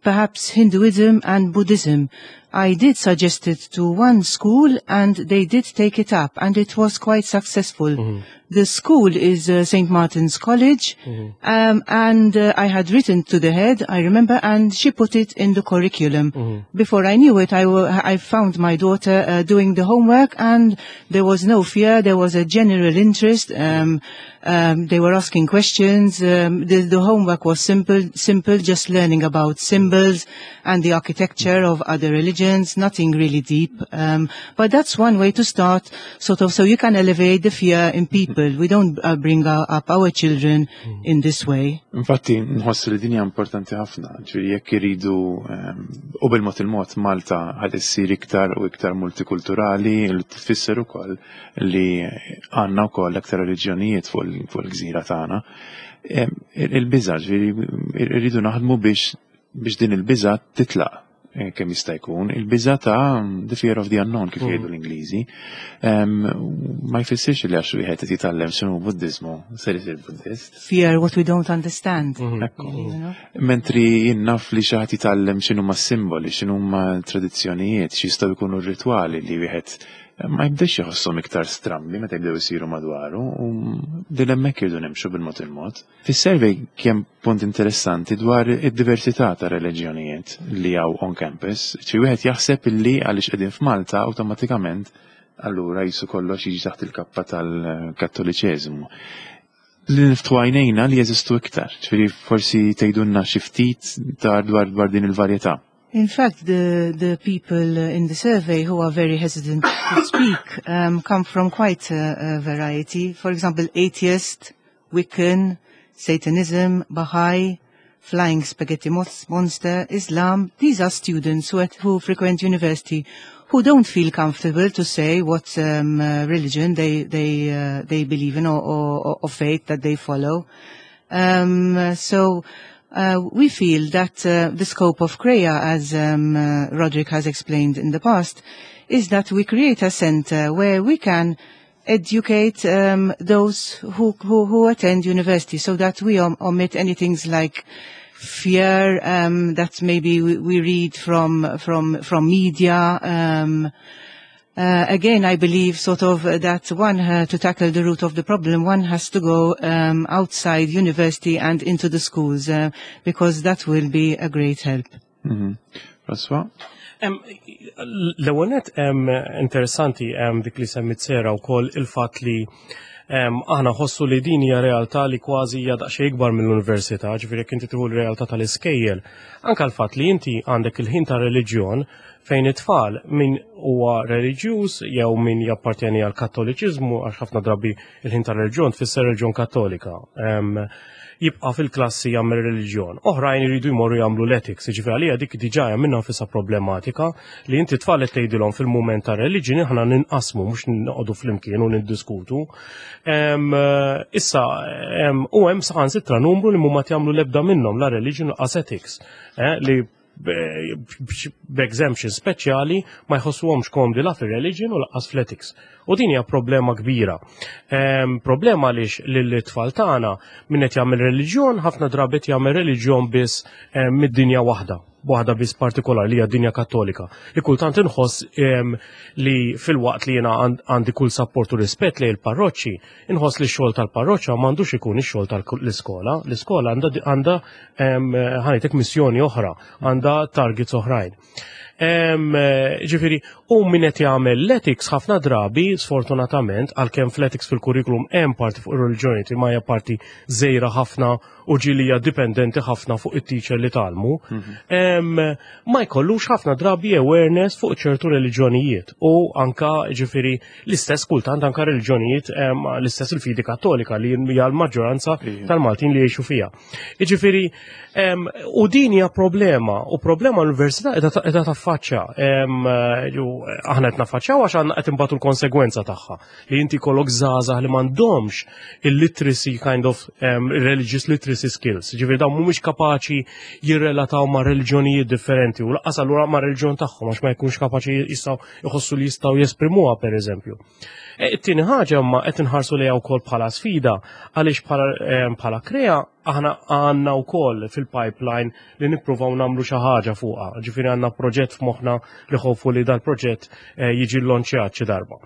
perhaps Hinduism and Buddhism. I did suggest it to one school and they did take it up and it was quite successful. The school is St. Martin's College and I had written to the head, I remember, and she put it in the curriculum. Before I knew it, I found my daughter doing the homework and there was no fear, there was a general interest. They were asking questions. The homework was simple, simple, just learning about symbols and the architecture of other religions, nothing really deep. But that's one way to start, sort of, so you can elevate the fear in people. We don't bring up our children in this way. Infatti, nħoss li din hija importanti ħafna, ġifieri jekk iridu u bil-mod il-mod Malta ħad issir iktar u iktar multikulturali, li tfisser ukoll li għandna wkoll aktar reliġjonijiet fuq il-gżira tagħna. Il-biża', ġifieri irridu naħdmu biex din il-biża' titlaq kemm jista' jkun, il-biża' ta' the fear of the unknown, kif jgħidu l-Ingliżi. Ma jfissirx li għax wieħed qed jitgħallem x'inhu Buddiżmu ser isir Buddist. Fear what we don't understand. Ekku. You know? Mentri jien naf li xi ħadd jitgħallem x'inhuma simboli, x'inhuma tradizzjonijiet, x'jistgħu jkunu r-ritwali, li wieħed ma jibdex jħosshom iktar strambi meta jibdew isiru madwaru, u din hemmhekk irdu nimxu bil-mod il-mod. Fis-survey kien punt interessanti dwar id-diversità ta' reliġjonijiet li hawn on campus. Xi wieħed jaħseb illi għaliex qegħdin f'Malta awtomatikament allura jisu kollox jiġi taħt il-kappa tal-Kattoliċeżmu. Li niftħu għajnejna li jeżistu iktar, ġifieri forsi tgħidulna xi ftit dwar din il-varjetà. In fact, the people in the survey who are very hesitant to speak come from quite a variety. For example, atheist, Wiccan, Satanism, Baha'i, Flying Spaghetti Monster, Islam. These are students who frequent university who don't feel comfortable to say what religion they believe in or faith that they follow. So we feel that the scope of CREA, as Roderick has explained in the past, is that we create a center where we can educate those who attend university so that we omit anything like fear that maybe we read from media. Again, I believe sort of that one, to tackle the root of the problem, one has to go outside university and into the schools, because that will be a great help. François? L-ewwel nett, interessanti dik li semmit Sera wkoll, il-fatt li aħna ħossu li din hija realtà li kważi hija daqsxejn ikbar mill-università, ġifieri jekk inti tieħu l-realtà tal-iskejjel, anke l-fatt li inti għandek il-ħin ta' reliġjon fejn it-tfal, min huwa reliġjuż jew min jappartjeni għal Kattoliċiżmu, għax ħafna drabi il-ħin ta' reliġjon tfisser reliġjon Kattolika. jibqa' fil-klassi jagħmel reliġjon. Oħrajn iridu jmorru jagħmlu l-ethics, jiġifieri għalija dik diġà hija minnha nfisha problematika li inti tfal qed tgħidilhom fil-mument ta' reliġjon aħna ninqasmu mhux noqogħdu flimkien u niddiskutu. Issa u hemm saħansitra numru li mhuma jagħmlu l-ebda minnhom la religion lanqas ethics li b'exemption speċjali ma jħossuhomx komdi la fir-religion u lanqas fl-ethics. U din hija problema kbira. Problema għaliex lill-tfal tagħna min qed jagħmel reliġjon ħafna drabi qed jagħmel reliġjon biss mid-dinja waħda, waħda biss partikolari li hija dinja Kattolika. Li kultant inħoss li filwaqt li jiena għandi kull sapport u rispett lejn il-parroċċi, inħoss li x-xogħol tal-parroċċa m'għandux ikun ix-xogħol tal-iskola. L-iskola għandha ħa ngħidlek missjoni oħra, għandha targets oħrajn. Ġifieri, u min qed jagħmel l-ethics ħafna drabi, sfortunatament, għalkemm fl-ethics fil-kurrikulum hemm parti fuq ir-reliġjoni ma hija parti żgħira ħafna u ġieli hija dipendenti ħafna fuq it-teacher li tgħallmu, ma jkollux ħafna drabi awareness fuq ċertu reliġjonijiet u anka ġifieri l-istess kultant anka reliġjonijiet l-istess il-fidi Kattolika li hija l-maġġoranza tal-Maltin li jgħixu fiha. Jiġifieri, u din hija problema, u problema l-università qiegħda taffaċċja. Aħna qed naffaċċjaw għax għandna qed inbatu l-konsegwenza tagħha li inti jkollok żgħażagħ li m'għandhomx il-literacy kind of religious literacy skills. Ġifieri dawn mhumiex kapaċi jirrelataw ma' reliġjonijiet differenti u lanqas allura ma' reliġjon tagħhom għax ma jkunx kapaċi jistgħu jħossu li jistgħu jesprimuha, pereżempju. It-tieni ħaġa ma qed inħarsu lejha wkoll bħala sfida għaliex bħala Krea aħna għandna wkoll fil-pipeline li nippruvaw nagħmlu xi ħaġa fuqha. Ġifieri għandna proġett f'moħħna li ħofu li dal-proġett jiġi llonċjat xi darba.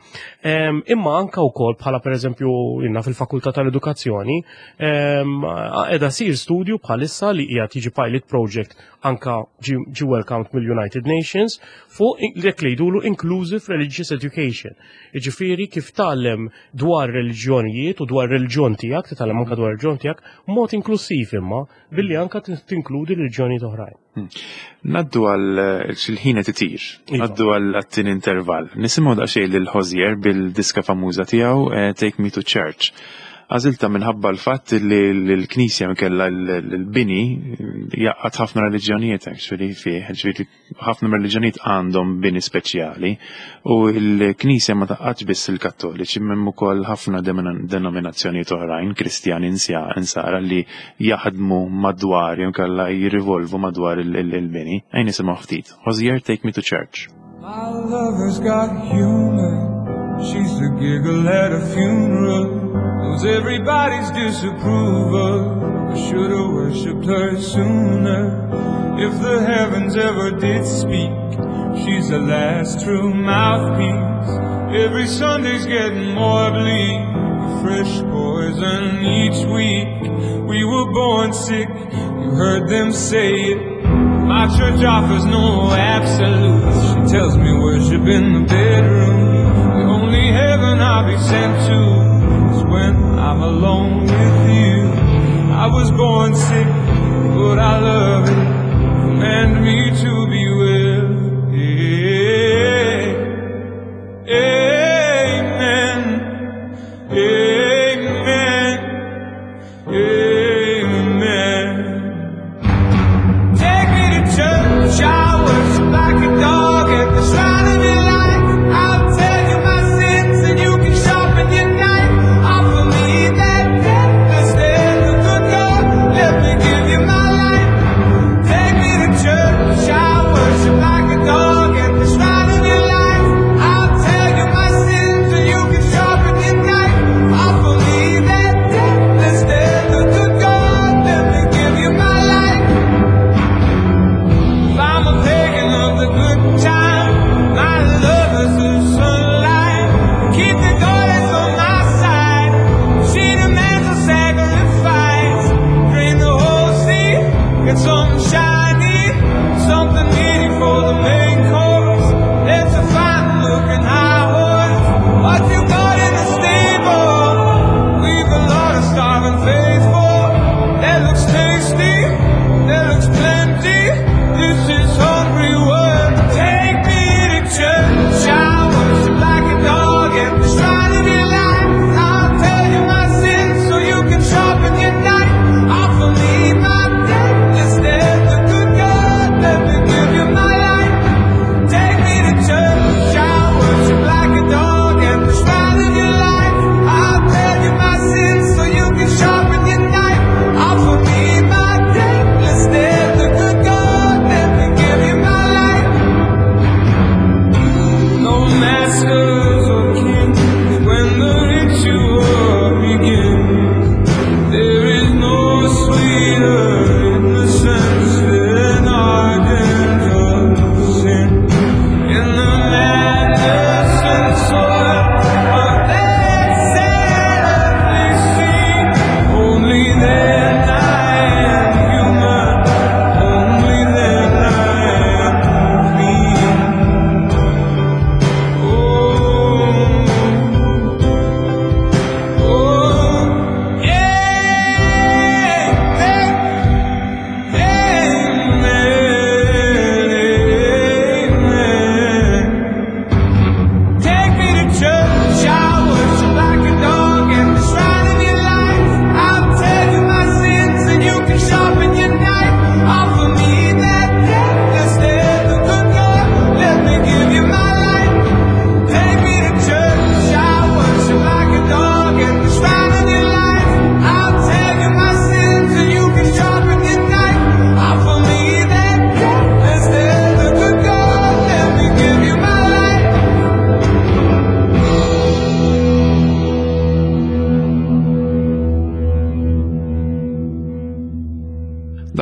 Imma anka wkoll bħala pereżempju jiena fil-Fakultà tal-Edukazzjoni qiegħda sir studju bħalissa li qiegħed jiġi pilot project anka ġi welcomed mill-United Nations fuq dak li jgħidulu inclusive religious education. Jiġifieri kif tgħallem dwar reliġjonijiet u dwar reliġjon tiegħek, titgħallem anka dwar reliġjon tiegħek mod inklusiv imma billi anka tinkludi reliġjonijiet oħrajn. Ngħaddu għal xil-ħin qed itir, ngħaddu għal għat-tieni intervall. Nisimgħu daqsxejn lil Hozier bil-diska famuża tiegħu Take Me to Church. Għażilta minħabba l-fatt li l-Knisja mikella l-bini jgħaqqad ħafna reliġjonijiet actually fih, ġifieri ħafna reliġjonijiet għandhom bini speċjali u l-Knisja ma tgħaqqadx biss il-Kattoliċi, hemm ukoll ħafna denominazzjonijiet oħrajn, Kristjani insara li jaħdmu madwar jew kellha jirrivolvu madwar il-bini. Ejja nisimgħu ftit. Hozier, Take Me to Church. My lover's got humor. She's the giggle at a funeral. Knows everybody's disapproval. I should've worshipped her sooner. If the heavens ever did speak, she's the last true mouthpiece. Every Sunday's getting more bleak. A fresh poison each week. We were born sick, you heard them say it. My church offers no absolutes. She tells me worship in the bedroom. The only heaven I'll be sent to is when I'm alone with you. I was born sick, but I love it. Command me to be well. Amen. Amen. Amen. Take me to church, I'll worship like a dog at the shrine of your life. I'll tell you my sins and you can sharpen your knife. Offer me that deathless hand of the God. Let me give you my life. Take me to church, I'll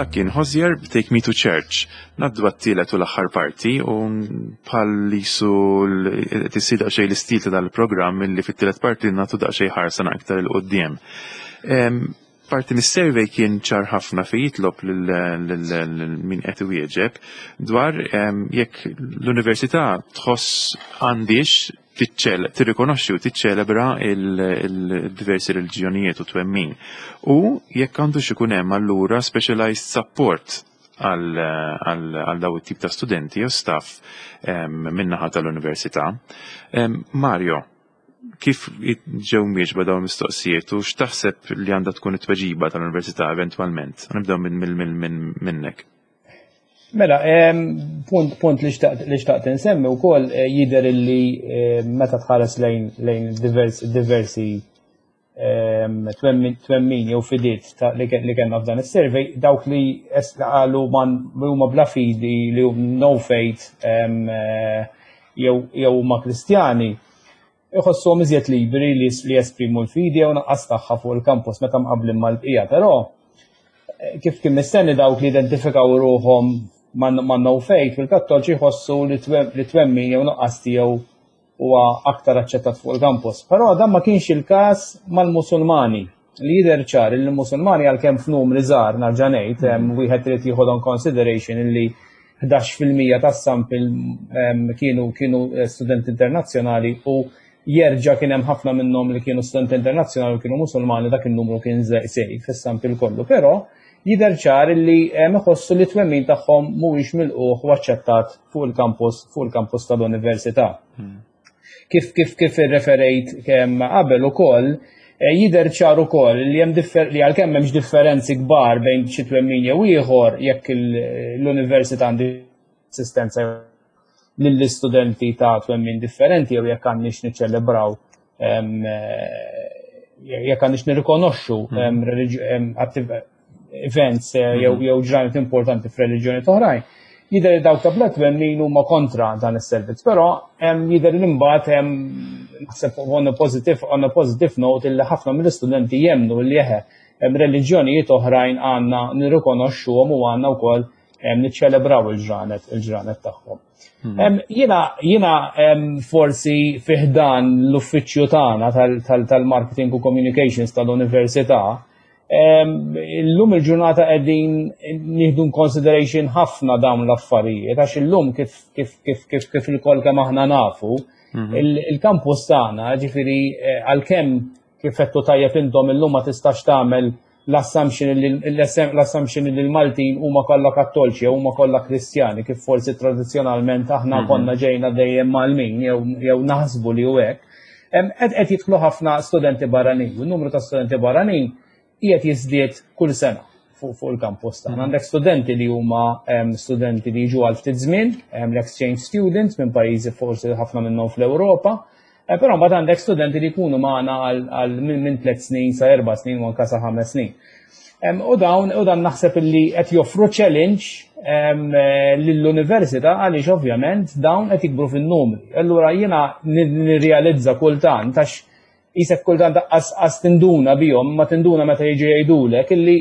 Dak kien Hozier b'Take Me to Church. Ngħaddu għat-tielet u l-aħħar parti u bħal jisu tissir daqsxejn l-istil ta' dal-programm illi fit-tielet parti nagħtu daqsxejn ħarsa aktar 'il quddiem. Parti mis-survey kien ċar ħafna fi jitlob lil min qed iwieġeb dwar jekk l-università tħoss għandix tirrikonoxxi u tiċċelebra il-diversi reliġjonijiet u twemmin. U jekk għandux ikun hemm allura specialized support għal daw it-tip ta' studenti u staff min-naħa tal-università. Mario, kif ġew mwieġba dawn mistoqsijiet u x'taħseb li għandha tkun it-tweġiba tal-università eventwalment? Nibdew minnek. Mela, punt li xtaqt insemmi wkoll jidher illi meta tħares lejn diversi twemmin jew fidiet li kellna f'dan is-survey, dawk li qalu man huma bla fidi, li no faith jew huma Kristjani, iħossuhom iżjed liberi li jesprimu l-fidi jew naqqas tagħha fuq il-campus meta mqablin mal-bqija, però kif kien mistenni, dawk li identifikaw ruħhom ma' no faith fil-Kattolċi jħossu li twemmin jew nuqqas tiegħu huwa aktar aċċettat fuq il-campus. Però dan ma kienx il-każ mal-Musulmani, li jidher ċar li l-Musulmani, għalkemm f'numri żgħar, nerġa' ngħid, wieħed irid jieħu in consideration illi 11% tas-sample kienu studenti internazzjonali u jerġa' kien hemm ħafna minnhom li kienu studenti internazzjonali u kienu Musulmani, dak in-numru kien żgħir fis-sample kollu, però jidher ċar li iħossu li twemmin tagħhom mhuwiex milqugħ u aċċettat fuq il-campus tal-università. Kif irreferejt kemm qabel ukoll, jidher ċar ukoll li hemm li għalkemm hemmx differenzi kbar bejn xi twemmin jew ieħor jekk l-università għandi assistenza lill-istudenti ta' twemmin differenti jew jekk għandniex niċċelebraw, jekk għandniex nirrikonoxxu events jew ġranet importanti f'reliġjoni oħrajn. Jidher li dawk ta' bla twemmin huma kontra dan is-servizz, però jidher li mbagħad hemm, naħseb, on a positive note illi ħafna mill-istudenti jemmnu li eħe, hemm reliġjonijiet oħrajn għandna nirrikonoxxuhom u għandna wkoll niċċelebraw il-ġranet tagħhom. Jiena forsi fi ħdan l-uffiċċju tagħna tal-marketing u communications tal-università, illum il-ġurnata qegħdin nieħdu consideration ħafna dawn l-affarijiet, għax illum kif ilkoll kemm aħna nafu, il-campus tagħna, ġifieri għalkemm kif għedtu tajjeb intom, illum ma tistax tagħmel l-assumption li l-Maltin huma kollha Kattolċi jew huma kollha Kristjani, kif forsi tradizzjonalment aħna konna ġejna dejjem Malmin jew naħsbu li hu hekk. Qed jidħlu ħafna studenti barranin, u n-numru ta' studenti barranin qiegħed jiżdied kull sena fuq il-campus tagħna. Għandek studenti li huma studenti li jiġu għal ftit żmien, l-exchange students minn pajjiżi forsi ħafna minnhom fl-Ewropa, però mbagħad għandek studenti li jkunu magħna għal minn 3 snin sa 4 snin u anke sa 5 snin. U dawn u dan naħseb illi qed joffru challenge lill-università, għaliex ovvjament dawn qed jikbru fin-numri. Allura jiena nirrealizza kultant, għax jisek kultant qas tinduna bihom, ma tinduna meta jiġu jgħidulek illi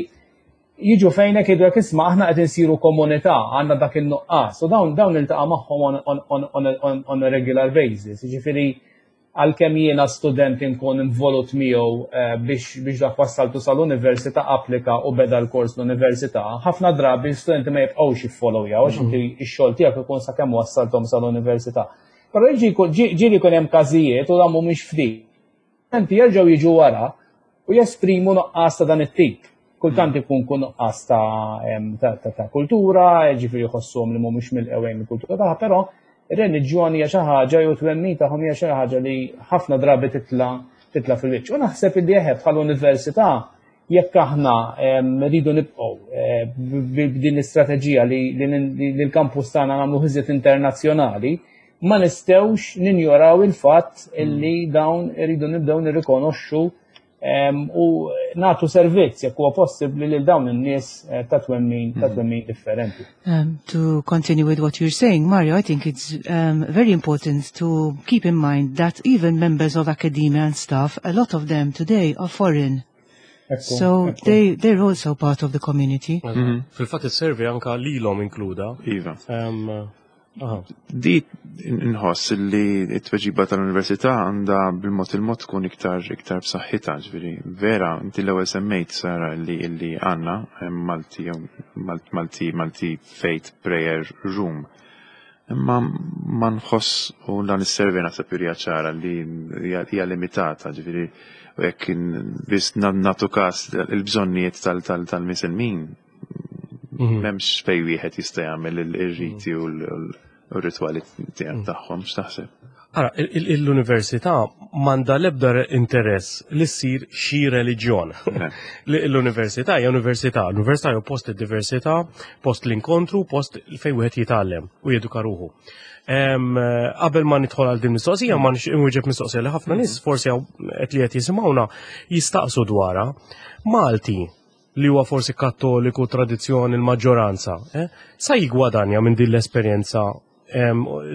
jiġu fejnek jgħidulek, "Isma', aħna qed insiru komunità, għandna dak il-nuqqas." U dawn iltaqa' magħhom on a regular basis. Jiġifieri għalkemm jiena student inkun involut miegħu biex dak wassaltu sal-università, applika u beda l-kors l-università, ħafna drabi studenti ma jibqgħux jiffollowjaw għax inti x-xogħol tiegħek ikun sakemm wassalthom sal-università. Però ġieli jkun hemm każijiet, u dan mhumiex ftit, studenti jerġgħu jiġu wara u jesprimu nuqqas ta' dan it-tip. Kultant ikun kun nuqqas ta' kultura, ġifieri jħossuhom li mhumiex mill-ewwel mill-kultura tagħha, però ir-reliġjoni hija xi ħaġa jew twemmin tagħhom hija xi ħaġa li ħafna drabi titla' fil-wiċċ. U naħseb li eħe, bħal università, jekk aħna rridu nibqgħu b'din l-istrateġija li l-campus tagħna nagħmlu iżjed internazzjonali, ma nistgħux ninjoraw il-fatt illi dawn iridu nibdew nirrikonoxxu u nagħtu servizz jekk huwa possibbli lil dawn in-nies ta' twemmin differenti. To continue with what you're saying, Mario, I think it's very important to keep in mind that even members of academia and staff, a lot of them today are foreign. So they're also part of the community. Fil-fatt is-survey anka lilhom inkluda. Iva. Di nħoss li t-tweġiba tal-università għandha bil-mod il-mod tkun iktar iktar b'saħħitha, ġifieri vera inti l-ewwel semmejt Sara li illi għandna Malti Malti Malti Faith Prayer Room. Imma ma nħoss u dan is-survey naħseb jurija ċara li hija limitata, ġifieri u jekk biss nagħtu każ il-bżonnijiet tal-misilmin m'hemmx fej wieħed jista' jagħmel ir-riti u l-ritwali tiegħek tagħhom, x'taħseb? Ara, l-università m'għandha l-ebda interess li ssir xi reliġjon. L-università hija università, l-università hija post id-diversità, post l-inkontru, post fejn wieħed jitgħallem u jeduka ruħu. Qabel ma nidħol għal din mistoqsija, ma nwieġeb mistoqsija li ħafna nies forsi qed li qed jisimgħuna jistaqsu dwarha. Malti li huwa forsi kattoliku tradizzjoni l-maġġoranza, sa jigwadanja minn din l-esperjenza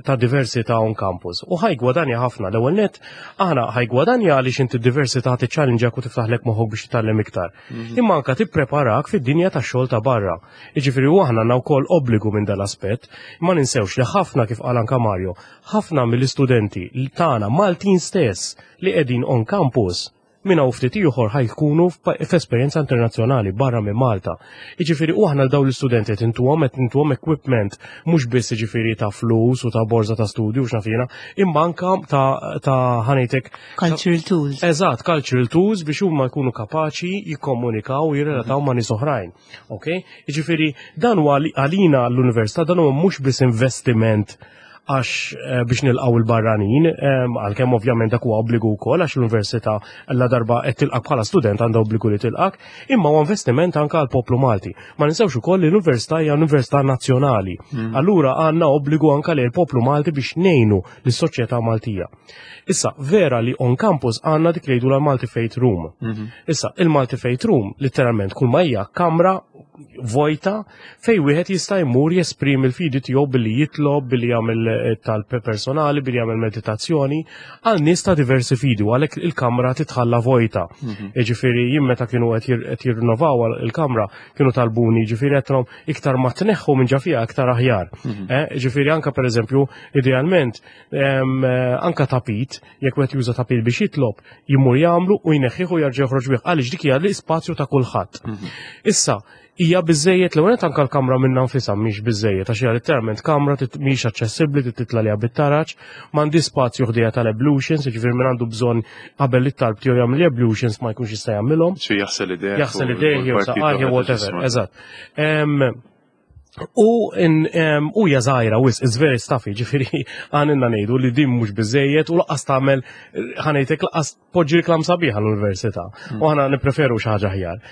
ta' diversità on campus. U ħa jgwadanja ħafna. L-ewwel net, aħna ħa jgwadanja għaliex inti diversità tiċċallenġak u tiftaħlek moħħok biex titgħallem iktar. Imma anka tippreparak fid-dinja tax-xogħol ta' barra. Jiġifieri u aħna għandna wkoll obbligu minn dal-aspett. Ma ninsewx li ħafna kif qal anka Mario, ħafna mill-istudenti tagħna Maltin stess li qegħdin on campus minn hawn ftit ieħor ħa jkunu f'esperjenza internazzjonali barra minn Malta. Jiġifieri u aħna dawn l-istudenti qed intuhom qed intuhom equipment mhux biss jiġifieri ta' flus u ta' borża ta' studju x'naf jiena, imma anka ta' ħa ngħidlek Cultural tools. Eżatt, cultural tools biex huma jkunu kapaċi jikkomunikaw u jirrelataw ma' nies oħrajn. Ok? Jiġifieri dan huwa għalina l-università dan huwa mhux biss investiment għax biex nilqaw il-barranin, għalkemm ovvjament dak huwa obbligu wkoll għax l-università la darba qed tilqak bħala student għandha obbligu li tilqak, imma huwa investiment anke għall poplu Malti. Ma ninsewx ukoll li l-università hija università nazzjonali. Allura għandna obbligu anke lil poplu Malti biex ngħinu lis-soċjetà Maltija. Issa, vera li on campus għandna dik li jgħidu l-Malti Faith Room. Issa, il-Malti Faith Room literalment kull ma hija kamra vojta fej wieħed jista' jmur jesprimi l-fidi tiegħu billi jitlob, billi jagħmel talb personali, billi jagħmel meditazzjoni għal nies ta' diversi fidi u għalhekk il-kamra titħalla vojta. Jiġifieri jien meta kienu qed jirrinnovaw il-kamra kienu talbuni, jiġifieri qed iktar ma tneħħu minn ġa fiha iktar aħjar. Jiġifieri anka pereżempju idealment anka tapit, jekk wieħed juża tapit biex jitlob, jimur jagħmlu u jneħħih u jerġa' joħroġ bih għaliex dik hija l-ispazju ta' kulħadd. Issa, hija biżejjed l ewwel anka l-kamra minnha nfisha mhix biżejjed għax hija literalment kamra mhix aċċessibbli trid titla' liha bit-taraġ, m'għandi spazju ħdejha tal-ablutions, jiġifieri min għandu bżonn qabel it-talb tiegħu jagħmel ablutions ma jkunx jista' jagħmilhom. Xi jaħsel idejh. Jaħsel idejh jew saqajh jew whatever, eżatt. U hija żgħira wis, it's very stuffy, ġifieri għandna ngħidu li din mhux biżejjed u lanqas tagħmel ħa ngħidlek lanqas poġġi reklam sabiħa l-università. U aħna nippreferu xi ħaġa aħjar.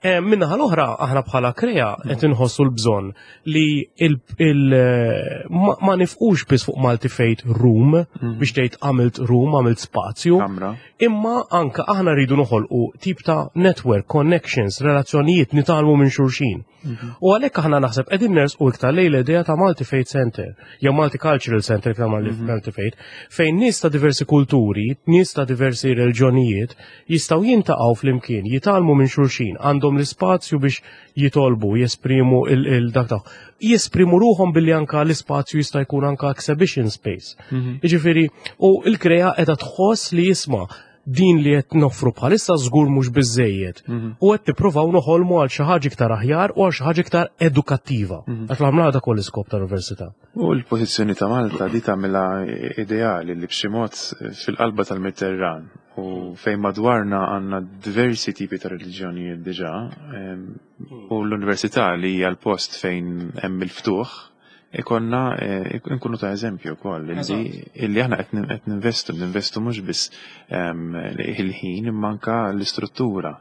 Min-naħa l-oħra aħna bħala Krea qed inħossu l-bżonn li ma nifqux biss fuq Malti Faith Room biex tgħid għamilt room, għamilt spazju. Kamra. Imma anka aħna rridu noħolqu tip ta' network, connections, relazzjonijiet nitgħallmu minn xulxin. U għalhekk aħna naħseb qegħdin nersqu iktar lejn l-idea ta' Malti Faith Center, jew Malti Cultural Center iktar Malti Faith, fejn nies ta' diversi kulturi, nies ta' diversi reliġjonijiet jistgħu jintaqgħu flimkien, jitgħallmu minn xulxin, għandhom l-ispazju biex jitolbu, jesprimu il-dak tagħhom. Jesprimu ruħhom billi anka l-ispazju jista' jkun anka exhibition space. Jiġifieri, u l-Krea qiegħda tħoss li jisma' din li qed noffru bħalissa żgur mhux biżejjed. U qed nippruvaw noħolmu għal xi ħaġa iktar aħjar u għal xi ħaġa iktar edukattiva. Għax l-għamla dak ukoll l-iskop tal-università. U l-pożizzjoni ta' Malta di tagħmilha ideali li b'xi mod fil-qalba tal-Mediterran u fejn madwarna għandna diversi tipi ta' reliġjonijiet diġà, u l-università li hija l-post fejn hemm il-ftuħ, ikonna nkunu ta' eżempju wkoll illi aħna qed ninvestu, ninvestu mhux biss il-ħin imma anka l-istruttura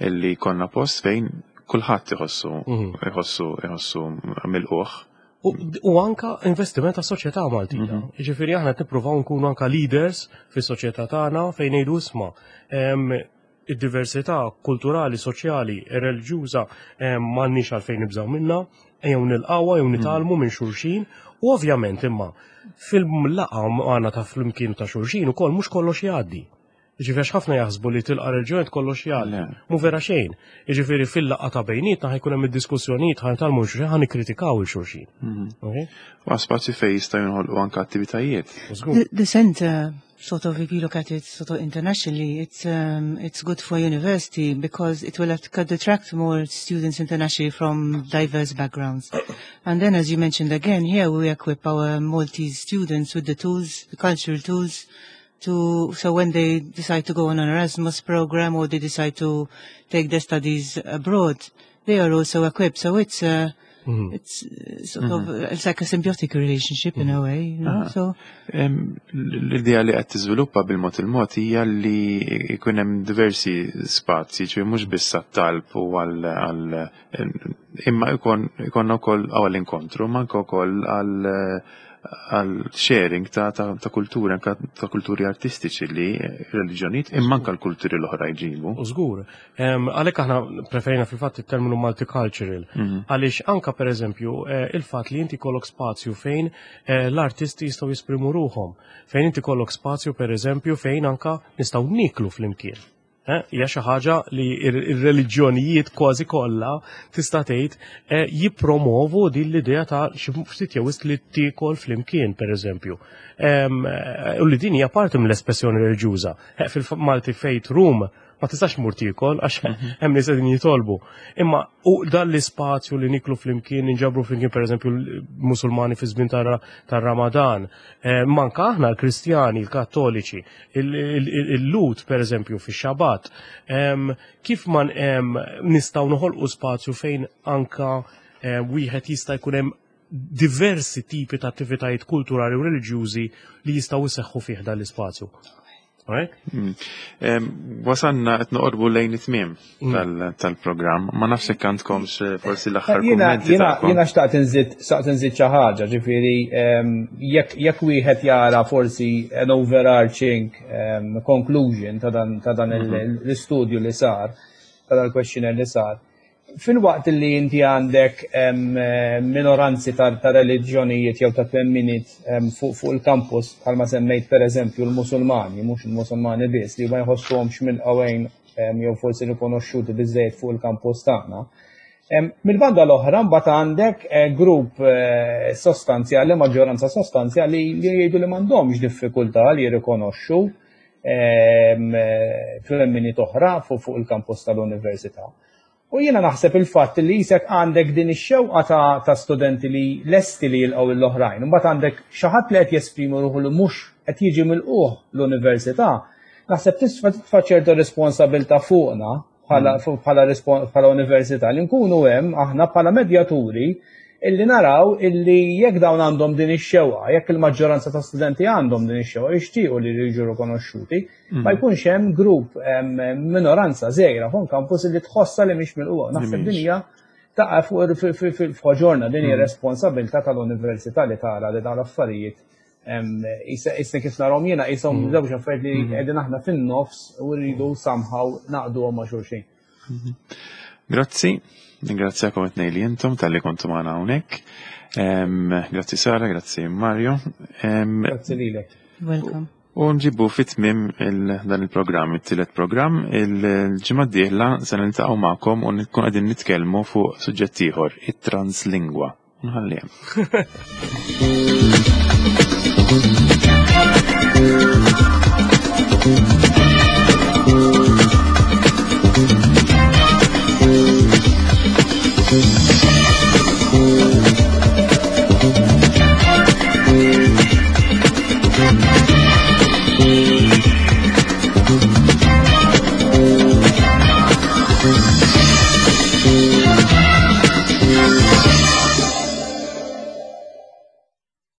illi konna post fejn kulħadd iħossu milquh. U anka investiment ta' soċjetà Maltija. Jiġifieri aħna qed nippruvaw nkunu anka leaders fis-soċjetà tagħna fejn ngħidu isma' id-diversità kulturali, soċjali, reliġjuża m'għandniex għalfejn nibżgħu minnha, ejjew nilqawha jew nitgħallmu minn xulxin u ovvjament imma fil-laqgħa magħna ta' flimkien ta' xulxin ukoll mhux kollox jgħaddi. Jiġifieri għax ħafna jaħsbu li tilqa' reliġjoni kollox jgħalli. Mhu vera xejn. Jiġifieri fil-laqgħa ta' bejnietna ħa jkun hemm id-diskussjonijiet ħa nitgħallmu xulxin ħa nikkritikaw il xulxin. U spazju fejn jistgħu jinħolqu anke attivitajiet. The center, sort of, if you look at it sort of internationally, it's good for university because it will attract more students internationally from diverse backgrounds. And then, as you mentioned again, here we equip our Maltese students with the tools, the cultural tools, to so when they decide to go on an Erasmus program or they decide to take their studies abroad, they are also equipped. So it's sort of it's like a symbiotic relationship in a way. Ah. So L-idea li qed tiżviluppa bil-mod il-mod hija li jkun hemm diversi spazji, ġifieri mhux biss għat-talb u għal imma ikonna wkoll għal inkontru, ma anke wkoll għal sharing ta' kultura, anke ta' kulturi artistiċi li reliġjonijiet imma anke l-kulturi l-oħra jġibu. U żgur. Għalhekk aħna preferina fil-fatt it-terminu multicultural. Għaliex anka per eżempju il-fatt li inti kollok spazju fejn l-artisti jistgħu jesprimu ruħhom, fejn inti kollok spazju per eżempju fejn anka nistgħu niklu flimkien. Hija xi ħaġa li ir-reliġjonijiet kważi kollha tista' tgħid jippromovu din l-idea ta' xi ftit jew wisq li tiekol flimkien pereżempju. U li din hija parti mill-espressjoni reliġjuża. Fil-Malti Faith Room ma tistax mur tiekol għax hemm nies qegħdin jitolbu. Imma u dan l-ispazju li niklu flimkien, ninġabru flimkien pereżempju l-Musulmani fi żmien tar-Ramadan, manka aħna l-Kristjani, l-Kattoliċi, il-Lhud pereżempju fix-Xabat, kif ma nistgħu noħolqu spazju fejn anka wieħed jista' jkun hemm diversi tipi ta' attivitajiet kulturali u reliġjużi li jistgħu jseħħu fih dan l-ispazju. Right? Wasanna qed noqorbu lejn it-tmiem tal-programm. Ma nafx hekk għandkomx forsi l-aħħar Jiena kummenti tagħkom. Jiena xtaqt inżid xi ħaġa, ġifieri jekk wieħed jara forsi an overarching conclusion ta' dan l-istudju li sar, ta' dan il-questionnaire li sar. Fil-waqt li inti għandek minoranzi ta' reliġjonijiet jew ta' twemminiet fuq il-campus, bħalma semmejt per eżempju l-Musulmani, mhux il-Musulmani biss, li ma jħossuhomx mill-qawejn jew forsi rikonoxxuti biżejjed fuq il-campus tagħna. Mill-banda l-oħra mbagħad għandek grupp sostanzjali, maġġoranza sostanzjali li jgħidu li m'għandhomx diffikultà li jirrikonoxxu twemminiet oħra fuq il-campus tal-università. U jiena naħseb il-fatt li jisek għandek din ix-xewqa ta' studenti li lesti li jilqgħu l-oħrajn, imbagħad għandek xi ħadd li qed jesprimi ruħu li mhux qed jiġi milquh l-università, naħseb titfa' ċerta responsabilità fuqna bħala università li nkunu hemm aħna bħala medjaturi illi naraw illi jekk dawn għandhom din ix-xewqa, jekk il-maġġoranza ta' studenti għandhom din ix-xewqa jixtiequ li jiġu rikonoxxuti, ma jkunx hemm grupp minoranza żgħira fuq campus li tħossa li mhix milquha. Naħseb din hija taqa' fuq f'ħoġorna din hija responsabilità tal-università li tara li dawn l-affarijiet issa kif narahom jiena qishom żewġ affarijiet li qegħdin aħna fin-nofs u rridu somehow naqduhom ma' xulxin. Grazzi, ningrazzjakom it-tnejn li intom talli kontu magħna hawnhekk. Grazzi Sara, grazzi Mario. Grazzi lilek. Welcome. U nġibu fit-tmiem dan il-programm, it-tielet programm, il-ġimgħa d-dieħla se niltaqgħu magħkom u nkun qegħdin nitkellmu fuq suġġett ieħor, it-translingwa. Nħalli hemm.